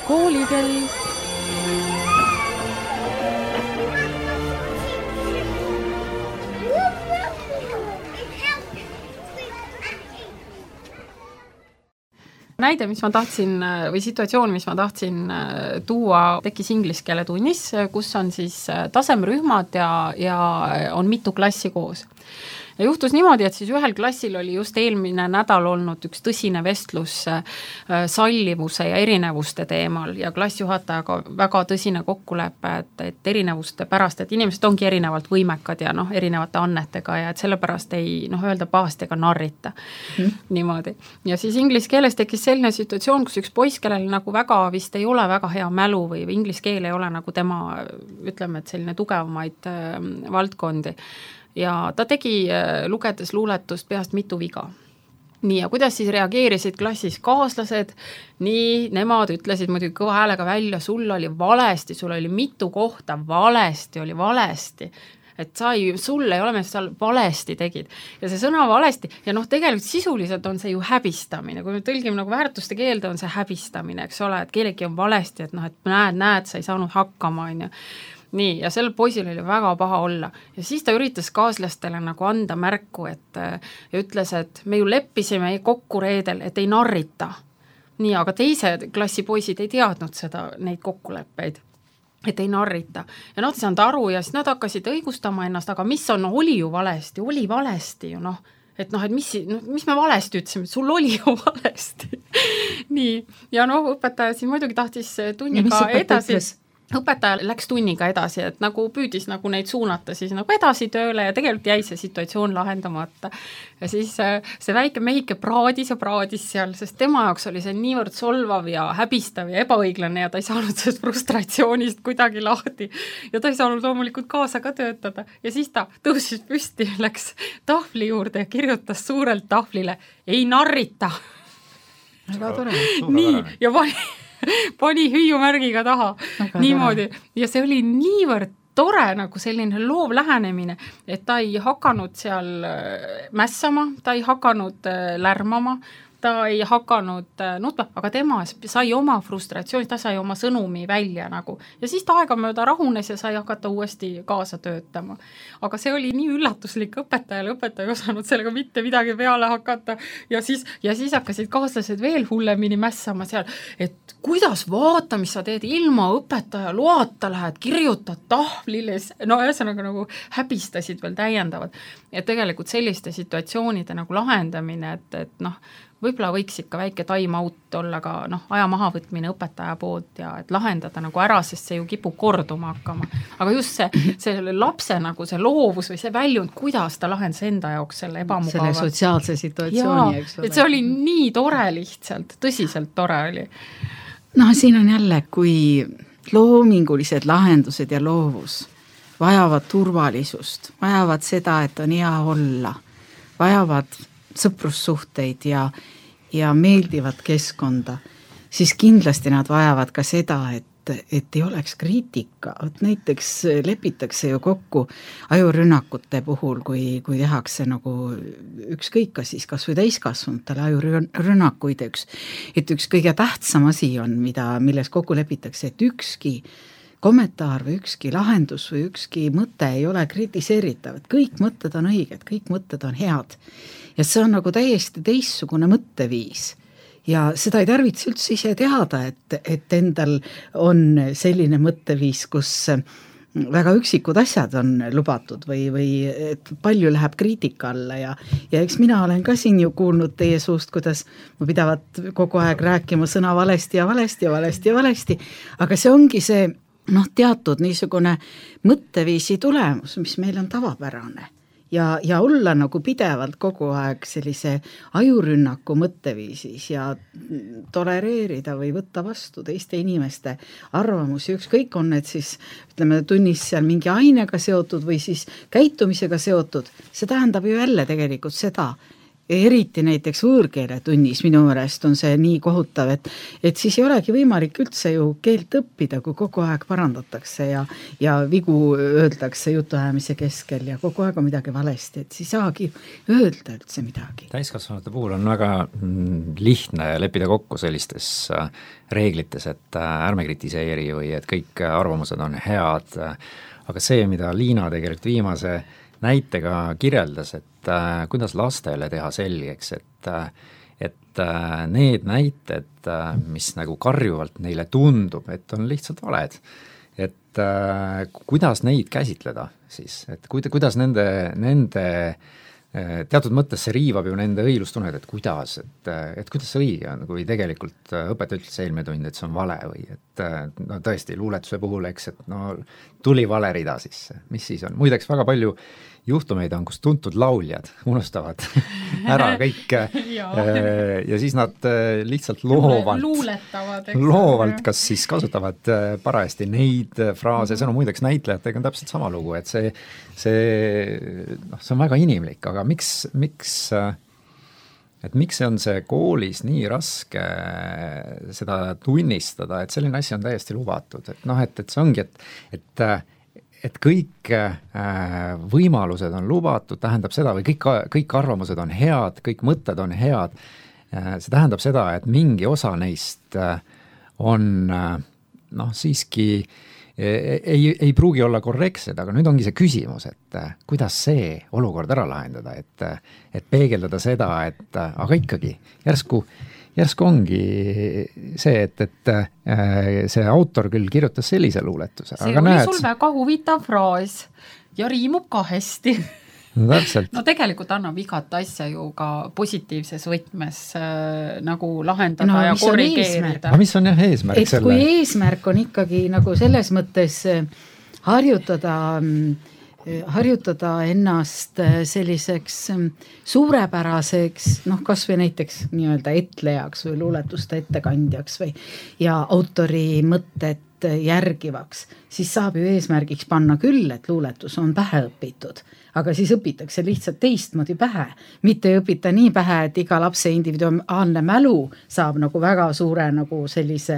Koolikell. Näide, mis ma tahtsin, või situatsioon, mis ma tahtsin tuua, tekkis inglise keele tunnis, kus on siis tasemerühmad ja, ja on mitu klassi koos. Ja juhtus niimoodi, et siis ühel klassil oli just eelmine nädal olnud üks tõsine vestlus sallivuse ja erinevuste teemal ja klassijuhatajaga väga tõsine kokkulepe, et, et erinevuste pärast, et inimesed ongi erinevalt võimekad ja noh, erinevate annetega ja et sellepärast ei noh, öelda pahasti ega narrita hmm. niimoodi. Ja siis inglise keeles tekkis selline situatsioon, kus üks poiss, kellel nagu väga vist ei ole väga hea mälu või inglise keel ei ole nagu tema, ütleme, et selline tugevamaid äh, valdkondi. Ja ta tegi lugedes luuletust peast mitu viga. Nii, ja kuidas siis reageerisid klassis kaaslased? Nii, nemad ütlesid muidugi kõva häälega välja, sul oli valesti, sul oli mitu kohta valesti, oli valesti. Et sa ei, sul ei ole, me sa valesti tegid. Ja see sõna valesti, ja noh, tegelikult sisuliselt on see ju häbistamine. Kui me tõlgime nagu väärtuste keelde, on see häbistamine, eks ole, et kellegi on valesti, et noh, et näed, näed, sa ei saanud hakkama, on ju. Nii, ja sel poisil oli väga paha olla. Ja siis ta üritas kaaslastele nagu anda märku, et ja ütles, et me ju leppisime kokku reedel, et ei narrita. nii, aga teised klassipoisid ei teadnud seda, neid kokkuleppeid, et ei narrita. Ja nad ei saanud aru ja siis nad hakkasid õigustama ennast, aga mis on, oli ju valesti, oli valesti ju noh, et noh, et mis, no, mis me valesti ütlesime, sul oli ju valesti. nii, ja noh, õpetaja siin muidugi tahtis tunniga edasi. Õpetaja läks tunniga edasi, et nagu püüdis nagu neid suunata siis nagu edasi tööle ja tegelikult jäi see situatsioon lahendamata. Ja siis see väike mehike praadis ja praadis seal, sest tema jaoks oli see niivõrd solvav ja häbistav ja ebaõiglane ja ta ei saanud sellest frustratsioonist kuidagi lahti. Ja ta ei saanud loomulikult kaasa ka töötada. Ja siis ta tõusis püsti, läks tahvli juurde ja kirjutas suurelt tahvlile, ei narrita. Väga tore. Nii, ja pani pani hüüumärgiga taha Aga niimoodi tore. Ja see oli niivõrd tore nagu selline loov lähenemine, et ta ei hakanud seal mässama, ta ei hakanud lärmama, ta ei hakanud nutma, aga tema sai oma frustratsiooni, ta sai oma sõnumi välja nagu. Ja siis ta aegamööda rahunes ja sai hakata uuesti kaasa töötama. Aga see oli nii üllatuslik õpetajale, õpetaja ei osanud sellega mitte midagi peale hakata ja siis, ja siis hakkasid kaaslased veel hullemini mässama seal, et kuidas vaata, mis sa teed, ilma õpetaja loata lähed, kirjutad tahvlile, no ühesõnaga nagu häbistasid veel täiendavad. Ja tegelikult selliste situatsioonide nagu lahendamine, et, et noh, võib-olla võiks ikka väike time out olla ka noh, aja mahavõtmine õpetaja poolt ja et lahendada nagu ära, sest see ju kipub korduma hakkama. Aga just see, see lapse nagu see loovus või see väljund, kuidas ta lahendas enda jaoks selle ebamugava. Selle sotsiaalse situatsiooni, eks ole. Et see oli nii tore lihtsalt, tõsiselt tore oli. No siin on jälle, kui loomingulised lahendused ja loovus vajavad turvalisust, vajavad seda, et on hea olla, vajavad sõprussuhteid ja, ja meeldivat keskkonda, siis kindlasti nad vajavad ka seda, et, et ei oleks kriitika. Et näiteks lepitakse ju kokku ajurünnakute puhul, kui, kui tehakse nagu ükskõik, kas siis kas või täiskasvanutele ajurünnakuid, üks, et üks kõige tähtsam asi on, mida, milles kokku lepitakse, et ükski kommentaar või ükski lahendus või ükski mõte ei ole kritiseeritav, et kõik mõtted on õiged, kõik mõtted on head. Ja see on nagu täiesti teistsugune mõtteviis ja seda ei tarvitse üldse ise teada, et, et endal on selline mõtteviis, kus väga üksikud asjad on lubatud või, või et palju läheb kriitika alla ja, ja eks mina olen ka siin ju kuulnud teie suust, kuidas ma pidavat kogu aeg rääkima sõna valesti ja valesti ja valesti ja valesti, aga see ongi see noh, teatud niisugune mõtteviisi tulemus, mis meil on tavapärane. Ja, ja olla nagu pidevalt kogu aeg sellise ajurünnaku mõtteviisis ja tolereerida või võtta vastu teiste inimeste arvamusi, ükskõik on need siis, ütleme, tunnis seal mingi ainega seotud või siis käitumisega seotud, see tähendab ju jälle tegelikult seda, eriti näiteks võõrkeele tunnis minu meelest on see nii kohutav, et, et siis ei olegi võimalik üldse ju keelt õppida, kui kogu aeg parandatakse ja, ja vigu öeldakse jutuajamise keskel ja kogu aeg on midagi valesti, et siis saagi öelda üldse midagi. Täiskasvanute puhul on väga lihtne leppida kokku sellistes reeglites, et ärme kritiseeri või et kõik arvamused on head, aga see, mida Liina tegelikult viimase näitega kirjeldas, et äh, kuidas lastele teha selgeks, et, et äh, need näited, äh, mis nagu karjuvalt neile tundub, et on lihtsalt valed, et äh, kuidas neid käsitleda siis, et kuida, kuidas nende, nende äh, teatud mõttes see riivab ju nende õiglustunnet, et kuidas, et, et kuidas see õige on, kui tegelikult õpetaja ütles eelmine tund, et see on vale või et no tõesti luuletuse puhul, eks, et no tuli vale rida sisse, mis siis on, muideks väga palju juhtumeid on, kus tuntud lauljad unustavad ära kõik ja. ja siis nad lihtsalt loovalt, luuletavad, loovalt kas siis kasutavad parajasti neid fraase, see on muideks näitlejatega on täpselt sama lugu, et see, see, noh, see on väga inimlik, aga miks, miks, et miks on see koolis nii raske seda tunnistada, et selline asi on täiesti lubatud, et noh, et, et see ongi, et, et et kõik äh, võimalused on lubatud, tähendab seda, või kõik, kõik arvamused on head, kõik mõtted on head, äh, see tähendab seda, et mingi osa neist äh, on äh, noh, siiski ei, ei, ei pruugi olla korrektsed, aga nüüd ongi see küsimus, et äh, kuidas see olukord ära lahendada, et, et peegeldada seda, et äh, aga ikkagi järsku järsku ongi see, et, et see autor küll kirjutas sellise luuletuse. See aga oli näed, sul väga huvitav fraas ja riimub ka hästi. No täpselt. No tegelikult annab igat asja ju ka positiivses võtmes äh, nagu lahendada no, ja korrigeerida. Aga mis on jah eesmärk et selle? Kui eesmärk on ikkagi nagu selles mõttes harjutada, harjutada ennast selliseks suurepäraseks, noh kas või näiteks nii-öelda etlejaks või luuletuste ettekandjaks või ja autori mõtted järgivaks, siis saab ju eesmärgiks panna küll, et luuletus on pähe õpitud, aga siis õpitakse lihtsalt teistmoodi pähe, mitte ei õpita nii pähe, et iga lapse individuaalne mälu saab nagu väga suure nagu sellise,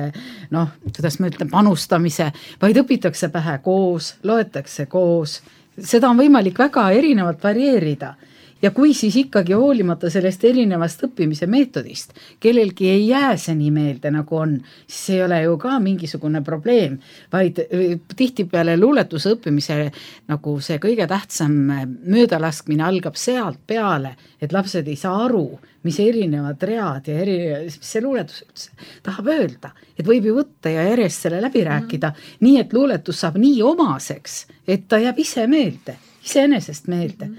noh, kuidas ma ütlen, panustamise, vaid õpitakse pähe koos, loetakse koos, seda on võimalik väga erinevalt varieerida. Ja kui siis ikkagi hoolimata sellest erinevast õppimise meetodist, kellelgi ei jää see nii meelde nagu on, siis ei ole ju ka mingisugune probleem, vaid tihtipeale luuletuse õppimise nagu see kõige tähtsam möödalaskmine algab sealt peale, et lapsed ei saa aru, mis erinevad read ja eri, mis see luuletus üldse tahab öelda. Et võib ju võtta ja järjest selle läbi rääkida, mm-hmm. nii et luuletus saab nii omaseks, et ta jääb ise meelde. iseenesest meelde.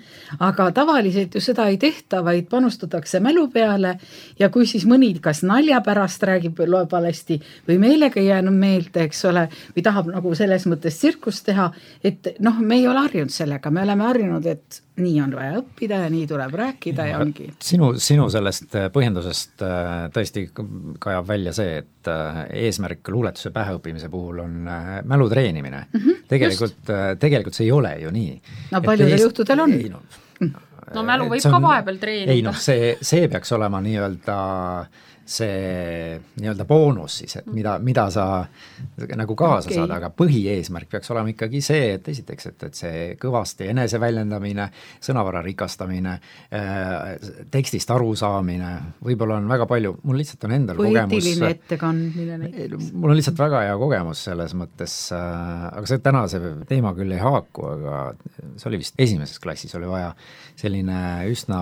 Aga tavaliselt ju seda ei tehta, vaid panustatakse mälu peale ja kui siis mõni kas nalja pärast räägib või loeb valesti või meelega jäänud meelde, eks ole, või tahab nagu selles mõttes tsirkust teha, et noh, me ei ole harjunud sellega, me oleme harjunud, et nii on vaja õppida ja nii tuleb rääkida ja, ja ongi. Sinu, sinu sellest põhjendusest tõesti kajab välja see, et eesmärk luuletuse päheõppimise puhul on mälu treenimine. Mm-hmm, tegelikult, tegelikult see ei ole ju nii. No paljudel juhtudel on. No, no mälu võib on, ka vahepeal treenida. Ei noh, see, see peaks olema nii-öelda see nii-öelda boonus siis, et mida, mida sa nagu kaasa okay. saad, aga põhieesmärk peaks olema ikkagi see, et esiteks, et, et see kõvasti eneseväljendamine, sõnavara rikastamine, tekstist arusaamine, võib-olla on väga palju, mul lihtsalt on endal kogemus. Poetiline ettekandmine näiteks. Mul on lihtsalt väga hea kogemus selles mõttes, aga see täna see teema küll ei haaku, aga see oli vist esimeses klassis, oli vaja selline üsna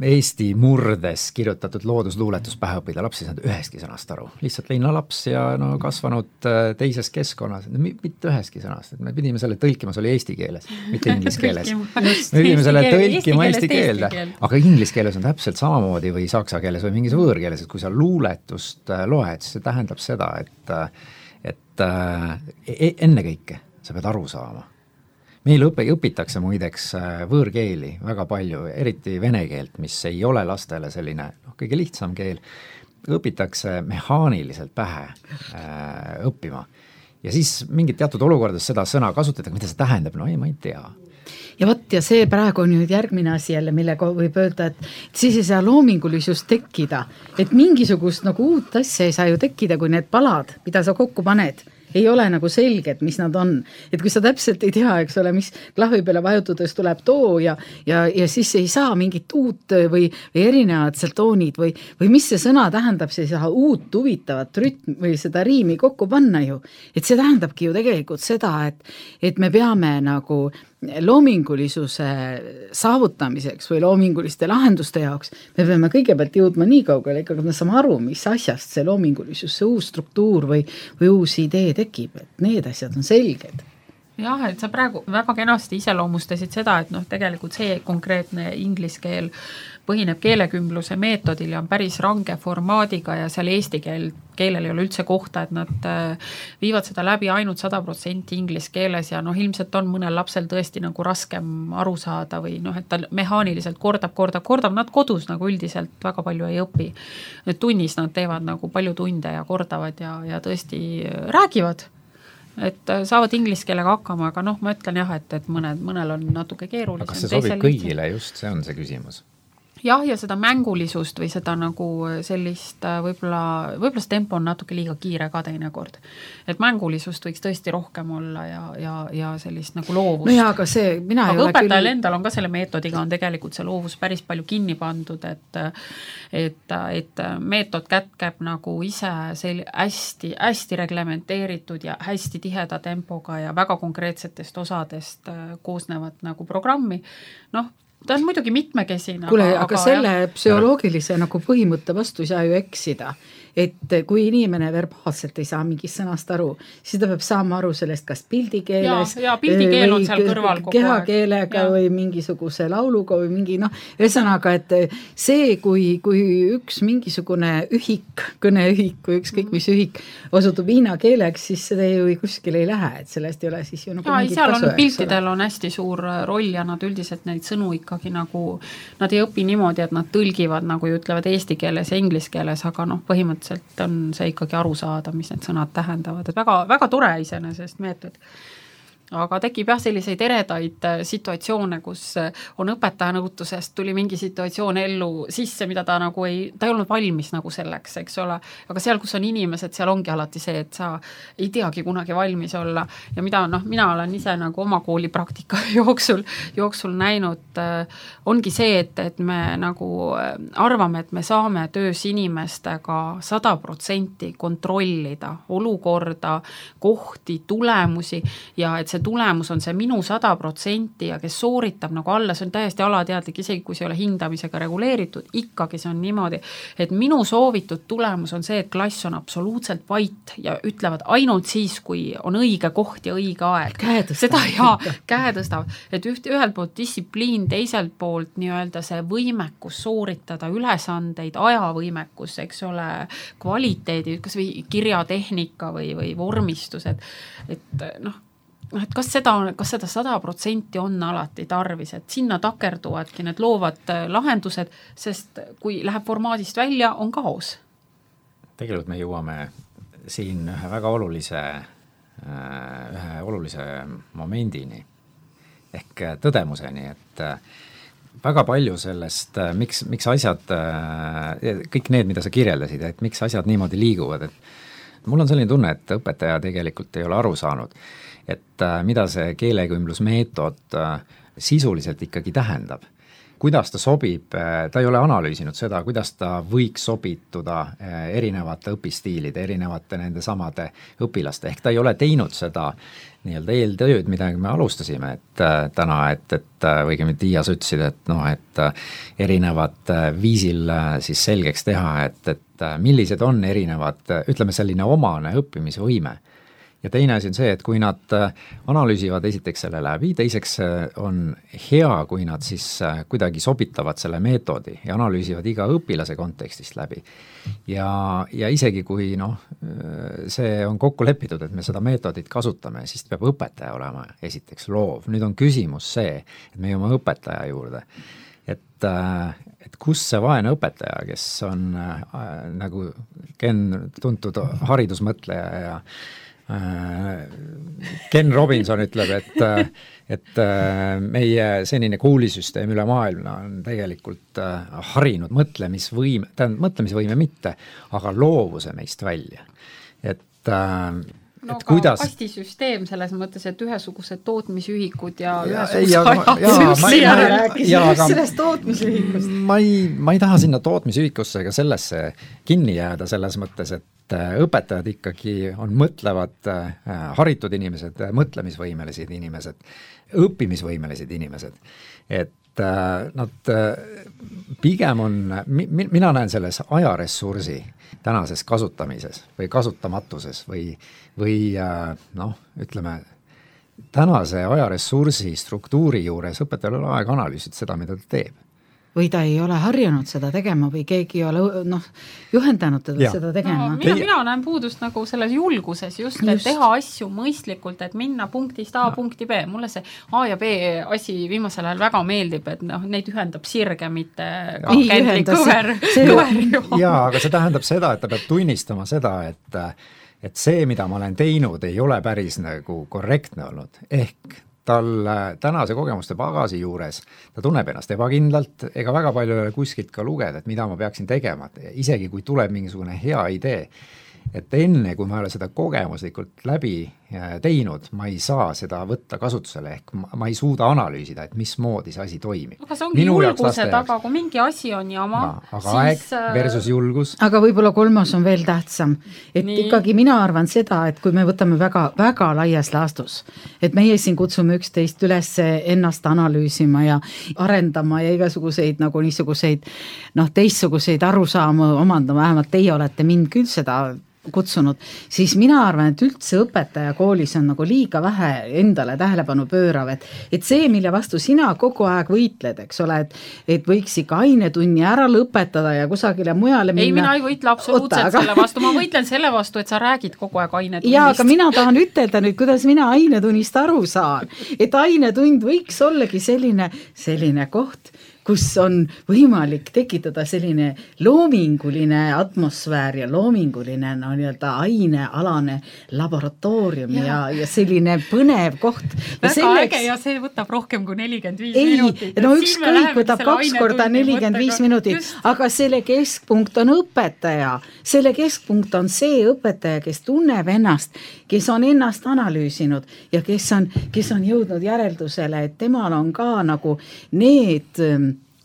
Eesti murdes kirjutatud loodusluuletus pähe õppida, laps ei saanud ühestki sõnast aru. Lihtsalt linnalaps ja no, kasvanud teises keskkonnas, mitte ühestki sõnast. Et me pidime selle tõlkima, see oli eesti keeles, mitte inglis keeles. Me pidime selle tõlkima eesti keelde, aga inglis keeles on täpselt samamoodi või saksa keeles või mingis võõrkeeles, et kui sa luuletust loed, siis see tähendab seda, et, et ennekõike sa pead aru saama. Meil õpe, õpitakse muideks võõrkeeli väga palju, eriti vene keelt, mis ei ole lastele selline noh, kõige lihtsam keel, õpitakse mehaaniliselt pähe äh, õppima. Ja siis mingid teatud olukordades seda sõna kasutatakse, mida see tähendab, no ei, ma ei tea. Ja võt, ja see praegu on nüüd järgmine asi jälle, millega võib öelda, et siis ei saa loomingulisust tekkida, et mingisugust nagu uut asja ei saa ju tekkida, kui need palad, mida sa kokku paned, ei ole nagu selged, mis nad on. Et kui sa täpselt ei tea, eks ole, mis klahvi peale vajutades tuleb too ja, ja, ja siis ei saa mingit uut või, või erinevad seal toonid või, või mis see sõna tähendab, see ei saa uut huvitavat rütm või seda riimi kokku panna ju. Et see tähendabki ju tegelikult seda, et, et me peame nagu loomingulisuse saavutamiseks või loominguliste lahenduste jaoks, me peame kõigepealt jõudma nii kaugele, ikkagi me saame aru, mis asjast see loomingulisus, see uus struktuur või, või uus idee tekib, et need asjad on selged. Jah, et sa praegu väga kenasti iseloomustasid seda, et noh, tegelikult see konkreetne inglise keel põhineb keelekümbluse meetodil ja on päris range formaadiga ja seal eesti keel, keelel ei ole üldse kohta, et nad viivad seda läbi ainult sada protsenti inglise keeles ja noh, ilmselt on mõnel lapsel tõesti nagu raskem aru saada või noh, et ta mehaaniliselt kordab, kordab, kordab, nad kodus nagu üldiselt väga palju ei õpi. Tunnis nad teevad nagu palju tunde ja kordavad ja, ja tõesti räägivad. Et saavad inglise keelega hakkama, aga noh, ma ütlen jah, et, et mõned, mõnel on natuke keerulisem. Aga kas see sobib kõigile just, see on see küsimus? Jah, ja seda mängulisust või seda nagu sellist võib-olla, võib-olla see tempo on natuke liiga kiire ka teinekord. Et mängulisust võiks tõesti rohkem olla ja, ja, ja sellist nagu loovust. No jaa, aga see, mina aga ei ole õpetajal küll... endal on ka selle meetodiga on tegelikult see loovus päris palju kinni pandud, et, et, et meetod kätkeb nagu ise sel- hästi, hästi reglementeeritud ja hästi tiheda tempoga ja väga konkreetsetest osadest koosnevat nagu programmi. Noh, ta on muidugi mitmekesine. Kuule, aga, aga selle jah. psühholoogilise nagu põhimõtte vastu ei saa ju eksida. Et kui inimene verbaalselt ei saa mingist sõnast aru, siis ta peab saama aru sellest, kas pildikeeles ja, ja pildikeel on seal kõrval kogu kehakeelega aeg. Või mingisuguse lauluga või mingi noh, ühesõnaga, et see, kui, kui üks mingisugune ühik, kõneühik või ükskõik mis ühik osutub hiinakeeleks, siis seda ju kuskil ei lähe, et sellest ei ole siis ju nagu ja, mingit seal kasu. On, piltidel on hästi suur roll ja nad üldiselt neid sõnu ikkagi nagu, nad ei õpi niimoodi, et nad tõlgivad nagu ju ütlevad eesti keeles ja inglise keeles, aga noh, põhimõtteliselt on see ikkagi aru saada, mis need sõnad tähendavad, et väga, väga tore iseenesest meetod. Aga tekib jah selliseid eredaid situatsioone, kus on õpetaja nõutusest, tuli mingi situatsioon ellu sisse, mida ta nagu ei, ta ei olnud valmis nagu selleks, eks ole, aga seal, kus on inimesed, seal ongi alati see, et sa ei teagi kunagi valmis olla ja mida noh, mina olen ise nagu oma koolipraktika jooksul, jooksul näinud, ongi see, et, et me nagu arvame, et me saame töös inimestega sada protsenti kontrollida olukorda, kohti, tulemusi ja et see tulemus on see minu sada protsenti ja kes sooritab nagu alla, see on täiesti alateadlik, isegi kui see ei ole hindamisega reguleeritud, ikkagi see on niimoodi, et minu soovitud tulemus on see, et klass on absoluutselt vait ja ütlevad ainult siis, kui on õige koht ja õige aeg. Käe tõstav. Seda ja käe tõstav, et üht, ühelt poolt distsipliin, teiselt poolt nii-öelda see võimekus sooritada ülesandeid, ajavõimekus, eks ole, kvaliteedi, kas või kirjatehnika või, või vormistus, et, et noh, noh, et kas seda, kas seda sada protsenti on alati tarvis, et sinna takerduvadki need loovad lahendused, sest kui läheb formaadist välja, on kaos. Tegelikult me jõuame siin ühe väga olulise, ühe olulise momendini ehk tõdemuseni, et väga palju sellest, miks, miks asjad, kõik need, mida sa kirjeldasid, et miks asjad niimoodi liiguvad, et mul on selline tunne, et õpetaja tegelikult ei ole aru saanud, et mida see keelekümblusmeetod sisuliselt ikkagi tähendab. Kuidas ta sobib, ta ei ole analüüsinud seda, kuidas ta võiks sobituda erinevate õpistiilide, erinevate nende samade õpilaste, ehk ta ei ole teinud seda nii-öelda eeltööd, mida me alustasime, et täna, et, et võigem Tiias ütlesid, et noh, et erinevad viisil siis selgeks teha, et, et millised on erinevad, ütleme selline omane õppimisvõime. Ja teine asi on see, et kui nad analüüsivad esiteks selle läbi, teiseks on hea, kui nad siis kuidagi sobitavad selle meetodi ja analüüsivad iga õpilase kontekstist läbi. Ja, ja isegi kui noh, see on kokku lepitud, et me seda meetodit kasutame, siis peab õpetaja olema esiteks loov. Nüüd on küsimus see, et me jõuame õpetaja juurde. Et, et kus see vaene õpetaja, kes on äh, nagu Ken tuntud haridusmõtleja ja Ken Robinson ütleb, et, et meie senine koolisüsteem üle maailma on tegelikult harinud mõtlemisvõime, tähendab mõtlemisvõime mitte, aga loovuse meist välja. Et, no et ka kuidas... kastisüsteem selles mõttes, et ühesugused tootmisühikud ja, ja ühesugused ajad. Sellest tootmisühikust. Ma ei, ma ei taha sinna tootmisühikusse ega sellesse kinni jääda selles mõttes, et õpetajad ikkagi on mõtlevad haritud inimesed, mõtlemisvõimelised inimesed, õppimisvõimelised inimesed. Et nad pigem on, mina näen selles ajaressursi tänases kasutamises või kasutamatuses või, või noh, ütleme, tänase ajaressursi struktuuri juures õpetajal on aeg analüüsida seda, mida ta teeb. Või ta ei ole harjunud seda tegema või keegi ei ole noh, juhendanud teda ja. Seda tegema. No, mina, mina näen puudust nagu selles julguses just, et just. Teha asju mõistlikult, et minna punktist A no. punkti B. Mulle see A ja B asi viimasel ajal väga meeldib, et noh, neid ühendab sirge, mitte kakendli kõver. kõver jaa, aga see tähendab seda, et ta peab tunnistama seda, et, et see, mida ma olen teinud, ei ole päris nagu korrektne olnud. Ehk tal tänase kogemuste pagasi juures, ta tunneb ennast ebakindlalt, ega väga palju ei ole kuskilt ka lugeda, et mida ma peaksin tegema, isegi kui tuleb mingisugune hea idee, et enne, kui ma ei ole seda kogemuslikult läbi teinud, ma ei saa seda võtta kasutusele, ehk ma, ma ei suuda analüüsida, et mismoodi see asi toimib. aga see ongi Minu julguse taga, kui mingi asi on jama, ja, aga siis aeg versus julgus. Aga võib-olla kolmas on veel tähtsam, et Nii. ikkagi mina arvan seda, et kui me võtame väga, väga laias laastus, et meie siin kutsume üksteist üles ennast analüüsima ja arendama ja igasuguseid nagu niisuguseid noh, teistsuguseid arusaama omandama, vähemalt teie olete mind küll seda kutsunud, siis mina arvan, et üldse õpetaja koolis on nagu liiga vähe endale tähelepanu pöörav, et, et see, mille vastu sina kogu aeg võitled, eks ole, et, et võiks ikka ainetunni ära lõpetada ja kusagile mujale minna. Ei, mina ei võitle absoluutselt Oota, aga... selle vastu, ma võitlen selle vastu, et sa räägid kogu aeg ainetunnist. Jaa, aga mina tahan ütelda nüüd, kuidas mina ainetunnist aru saan, et ainetund võiks ollagi selline, selline koht, kus on võimalik tekitada selline loominguline atmosfäär ja loominguline no, nii-öelda ainealane laboratoorium ja, ja, ja selline põnev koht. Väga selleks... äge ja see võtab rohkem kui nelikümmend viis ei, minutit. No ükskõik võtab kaks korda nelikümmend viis minutit, just. Aga selle keskpunkt on õpetaja. Selle keskpunkt on see õpetaja, kes tunneb ennast, kes on ennast analüüsinud ja kes on, kes on jõudnud järeldusele, et temal on ka nagu need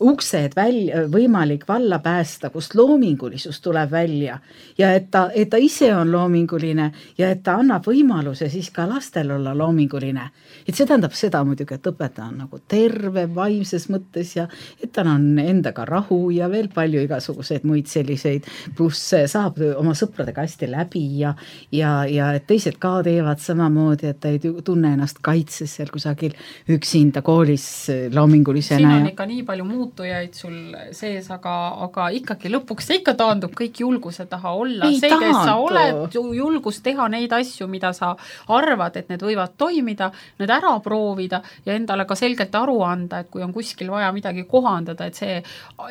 uksed välja, võimalik valla päästa, kust loomingulisus tuleb välja ja et ta, et ta ise on loominguline ja et ta annab võimaluse siis ka lastel olla loominguline. Et see tähendab seda muidugi, et õpetaja on nagu terve vaimses mõttes ja et tal on endaga rahu ja veel palju igasuguseid muid selliseid, pluss saab oma sõpradega hästi läbi ja, ja, ja et teised ka teevad samamoodi, et ta ei tunne ennast kaitses seal kusagil üksinda koolis loomingulisena. Siin on ikka nii palju muud muutujaid sul sees, aga, aga ikkagi lõpuks see ikka taandub kõik julguse taha olla. Ei see, kes taandu. Sa oled julgus teha neid asju, mida sa arvad, et need võivad toimida, need ära proovida ja endale ka selgelt aru anda, et kui on kuskil vaja midagi kohandada, et see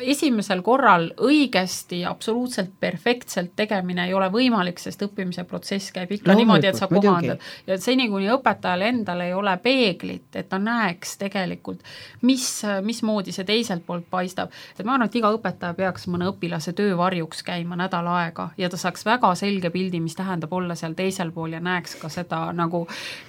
esimesel korral õigesti, absoluutselt perfektselt tegemine ei ole võimalik, sest õppimise protsess käib ikka Loomulikult, niimoodi, et sa kohandad. Muidugi. Ja seni, kuni õpetajal endal ei ole peeglit, et ta näeks tegelikult, mis, mismoodi see teiselt poolt paistab. Et ma arvan, et iga õpetaja peaks mõne õpilase töövarjuks käima nädal aega ja ta saaks väga selge pildi, mis tähendab olla seal teisel pool ja näeks ka seda nagu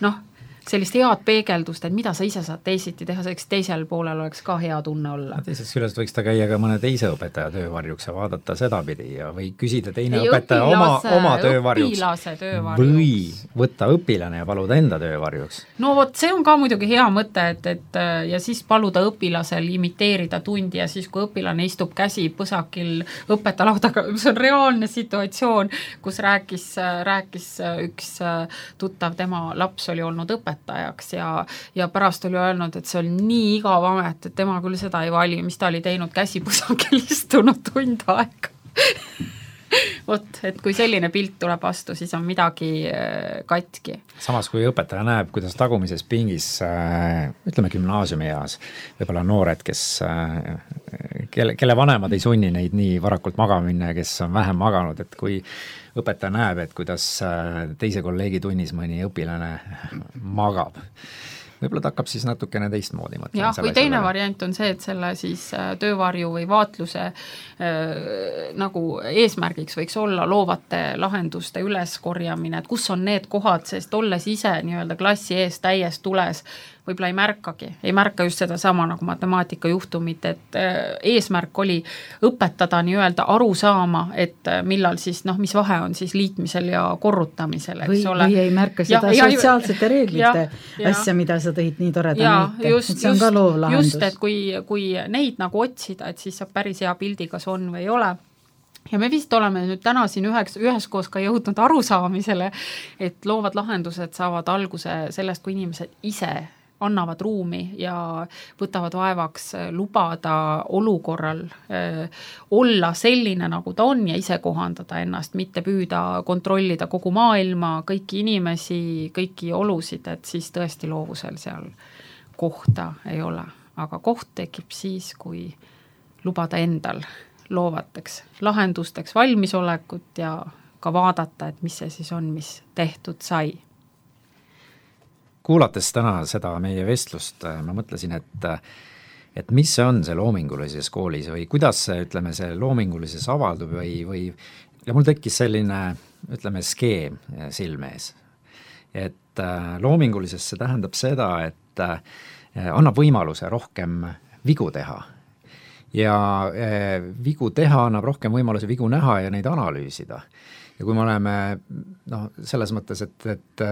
noh, sellist head peegeldust, et mida sa ise saad teisiti teha, selleks teisel poolel oleks ka hea tunne olla. Teisest küljest võiks ta käia ka mõne teise õpetaja töövarjuks ja vaadata sedapidi ja või küsida teine ei, õpetaja õpilase, oma, oma töövarjuks või võtta õpilane ja paluda enda töövarjuks. No vot, see on ka muidugi hea mõte, et, et ja siis paluda õpilasel imiteerida tundi ja siis, kui õpilane istub käsi põsakil õpetalaudaga, see on reaalne situatsioon, kus rääkis, rääkis üks tuttav, tema laps oli olnud õpetaja õpetajaks ja, ja pärast oli öelnud, et see oli nii igav amet, et tema küll seda ei vali, mis ta oli teinud käsipõsakil istunud tund aega. Vot, et kui selline pilt tuleb vastu, siis on midagi katki. Samas, kui õpetaja näeb, kuidas tagumises pingis, ütleme gümnaasiumi eas, võib-olla noored, kes, kelle, kelle vanemad ei sunni neid nii varakult magama minna ja kes on vähem maganud, et kui õpetaja näeb, et kuidas teise kolleegi tunnis mõni õpilane magab, võib-olla ta hakkab siis natukene teistmoodi mõtlema. Jah, kui teine sellele. Variant on see, et selle siis töövarju või vaatluse äh, nagu eesmärgiks võiks olla loovate lahenduste üleskorjamine, et kus on need kohad, sest olles ise nii-öelda klassi ees täies tules, võib-olla ei märkagi, ei märka just seda sama nagu matemaatika juhtumit, et eesmärk oli õpetada nii-öelda aru saama, et millal siis, noh, mis vahe on siis liitmisel ja korrutamisel, eks või, ole. Või ei märka seda ja, sotsiaalsete reeglite ja, asja, mida sa tõid nii toreda ja, näite. Just, see on just, ka loovlahendus. Just, et kui, kui neid nagu otsida, et siis saab päris hea pildi, kas on või ei ole. Ja me vist oleme nüüd täna siin üheks, üheskoos ka jõudnud arusaamisele, et loovad lahendused saavad alguse sellest, kui inimesed ise annavad ruumi ja võtavad vaevaks lubada olukorral äh, olla selline, nagu ta on ja ise kohandada ennast, mitte püüda kontrollida kogu maailma, kõiki inimesi, kõiki olusid, et siis tõesti loovusel seal kohta ei ole. Aga koht tekib siis, kui lubada endal loovateks lahendusteks valmisolekut ja ka vaadata, et mis see siis on, mis tehtud sai. Kuulates täna seda meie vestlust, ma mõtlesin, et, et mis see on see loomingulises koolis või kuidas see, ütleme, see loomingulises avaldub või, või ja mul tekkis selline, ütleme, skeem silme ees. et loomingulises see tähendab seda, et annab võimaluse rohkem vigu teha. Ja vigu teha annab rohkem võimaluse vigu näha ja neid analüüsida. Ja kui me oleme noh, selles mõttes, et, et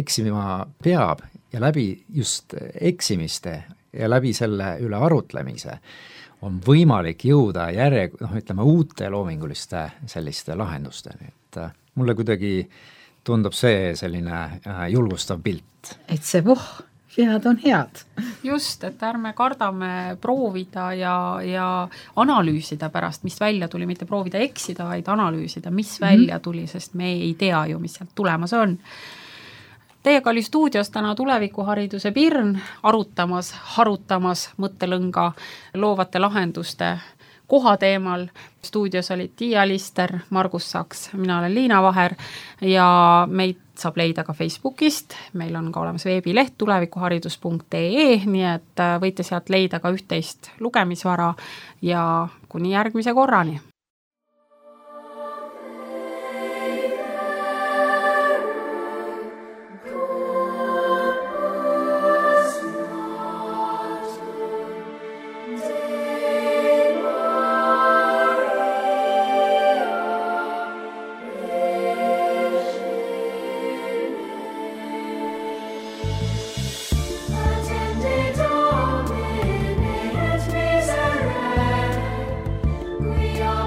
eksima peab ja läbi just eksimiste ja läbi selle üle arutlemise on võimalik jõuda järje, noh, ütleme uute loominguliste selliste lahendusteni. Et mulle kuidagi tundub see selline julgustav pilt. Et see voh, vead on head. Just, et ärme kardame proovida ja, ja analüüsida pärast, mis välja tuli, mitte proovida eksida, vaid analüüsida, mis mm-hmm. välja tuli, sest me ei tea ju, mis sealt tulemas on. Teiega oli stuudios täna tulevikuhariduse Pirn arutamas, harutamas mõttelõnga loovate lahenduste koha teemal. Stuudios olid Tiia Lister, Margus Saks, mina olen Liina Vaher ja meid saab leida ka Facebookist. Meil on ka olemas veebileht tulevikuharidus punkt ee, nii et võite sealt leida ka üht-teist lugemisvara ja kuni järgmise korrani. We are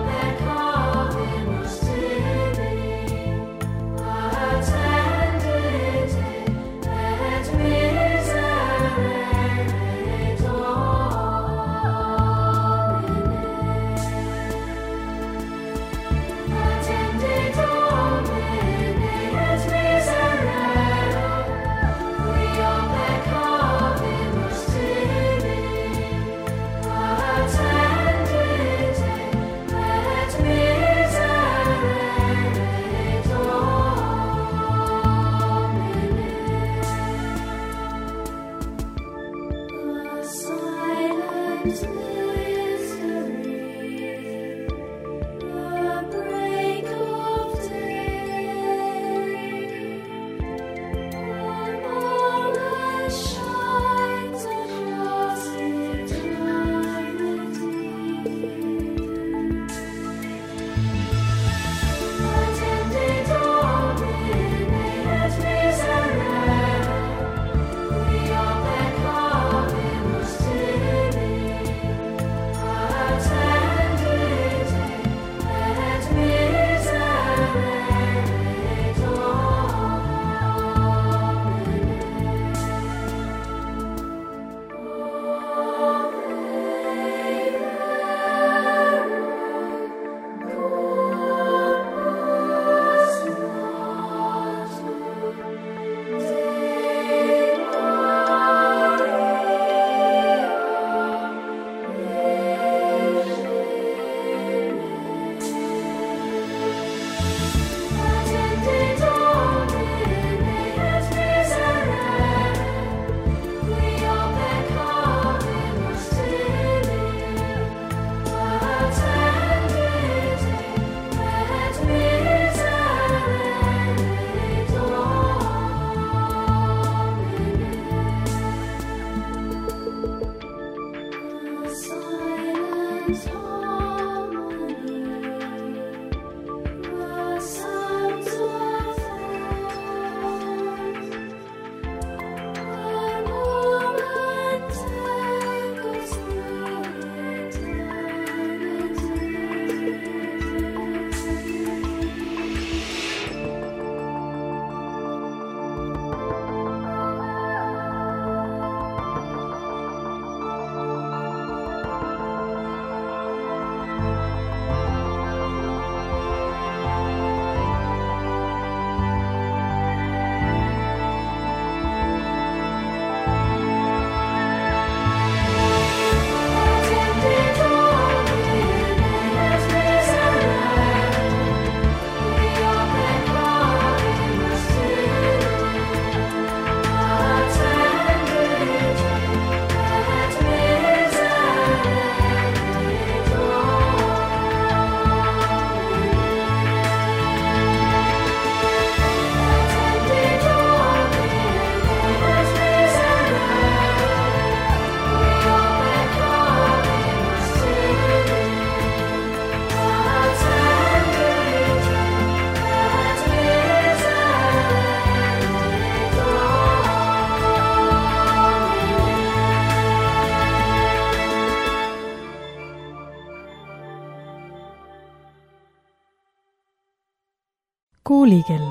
Koolikell.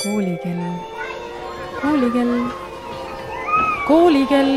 Koolikell. Koolikell. Koolikell.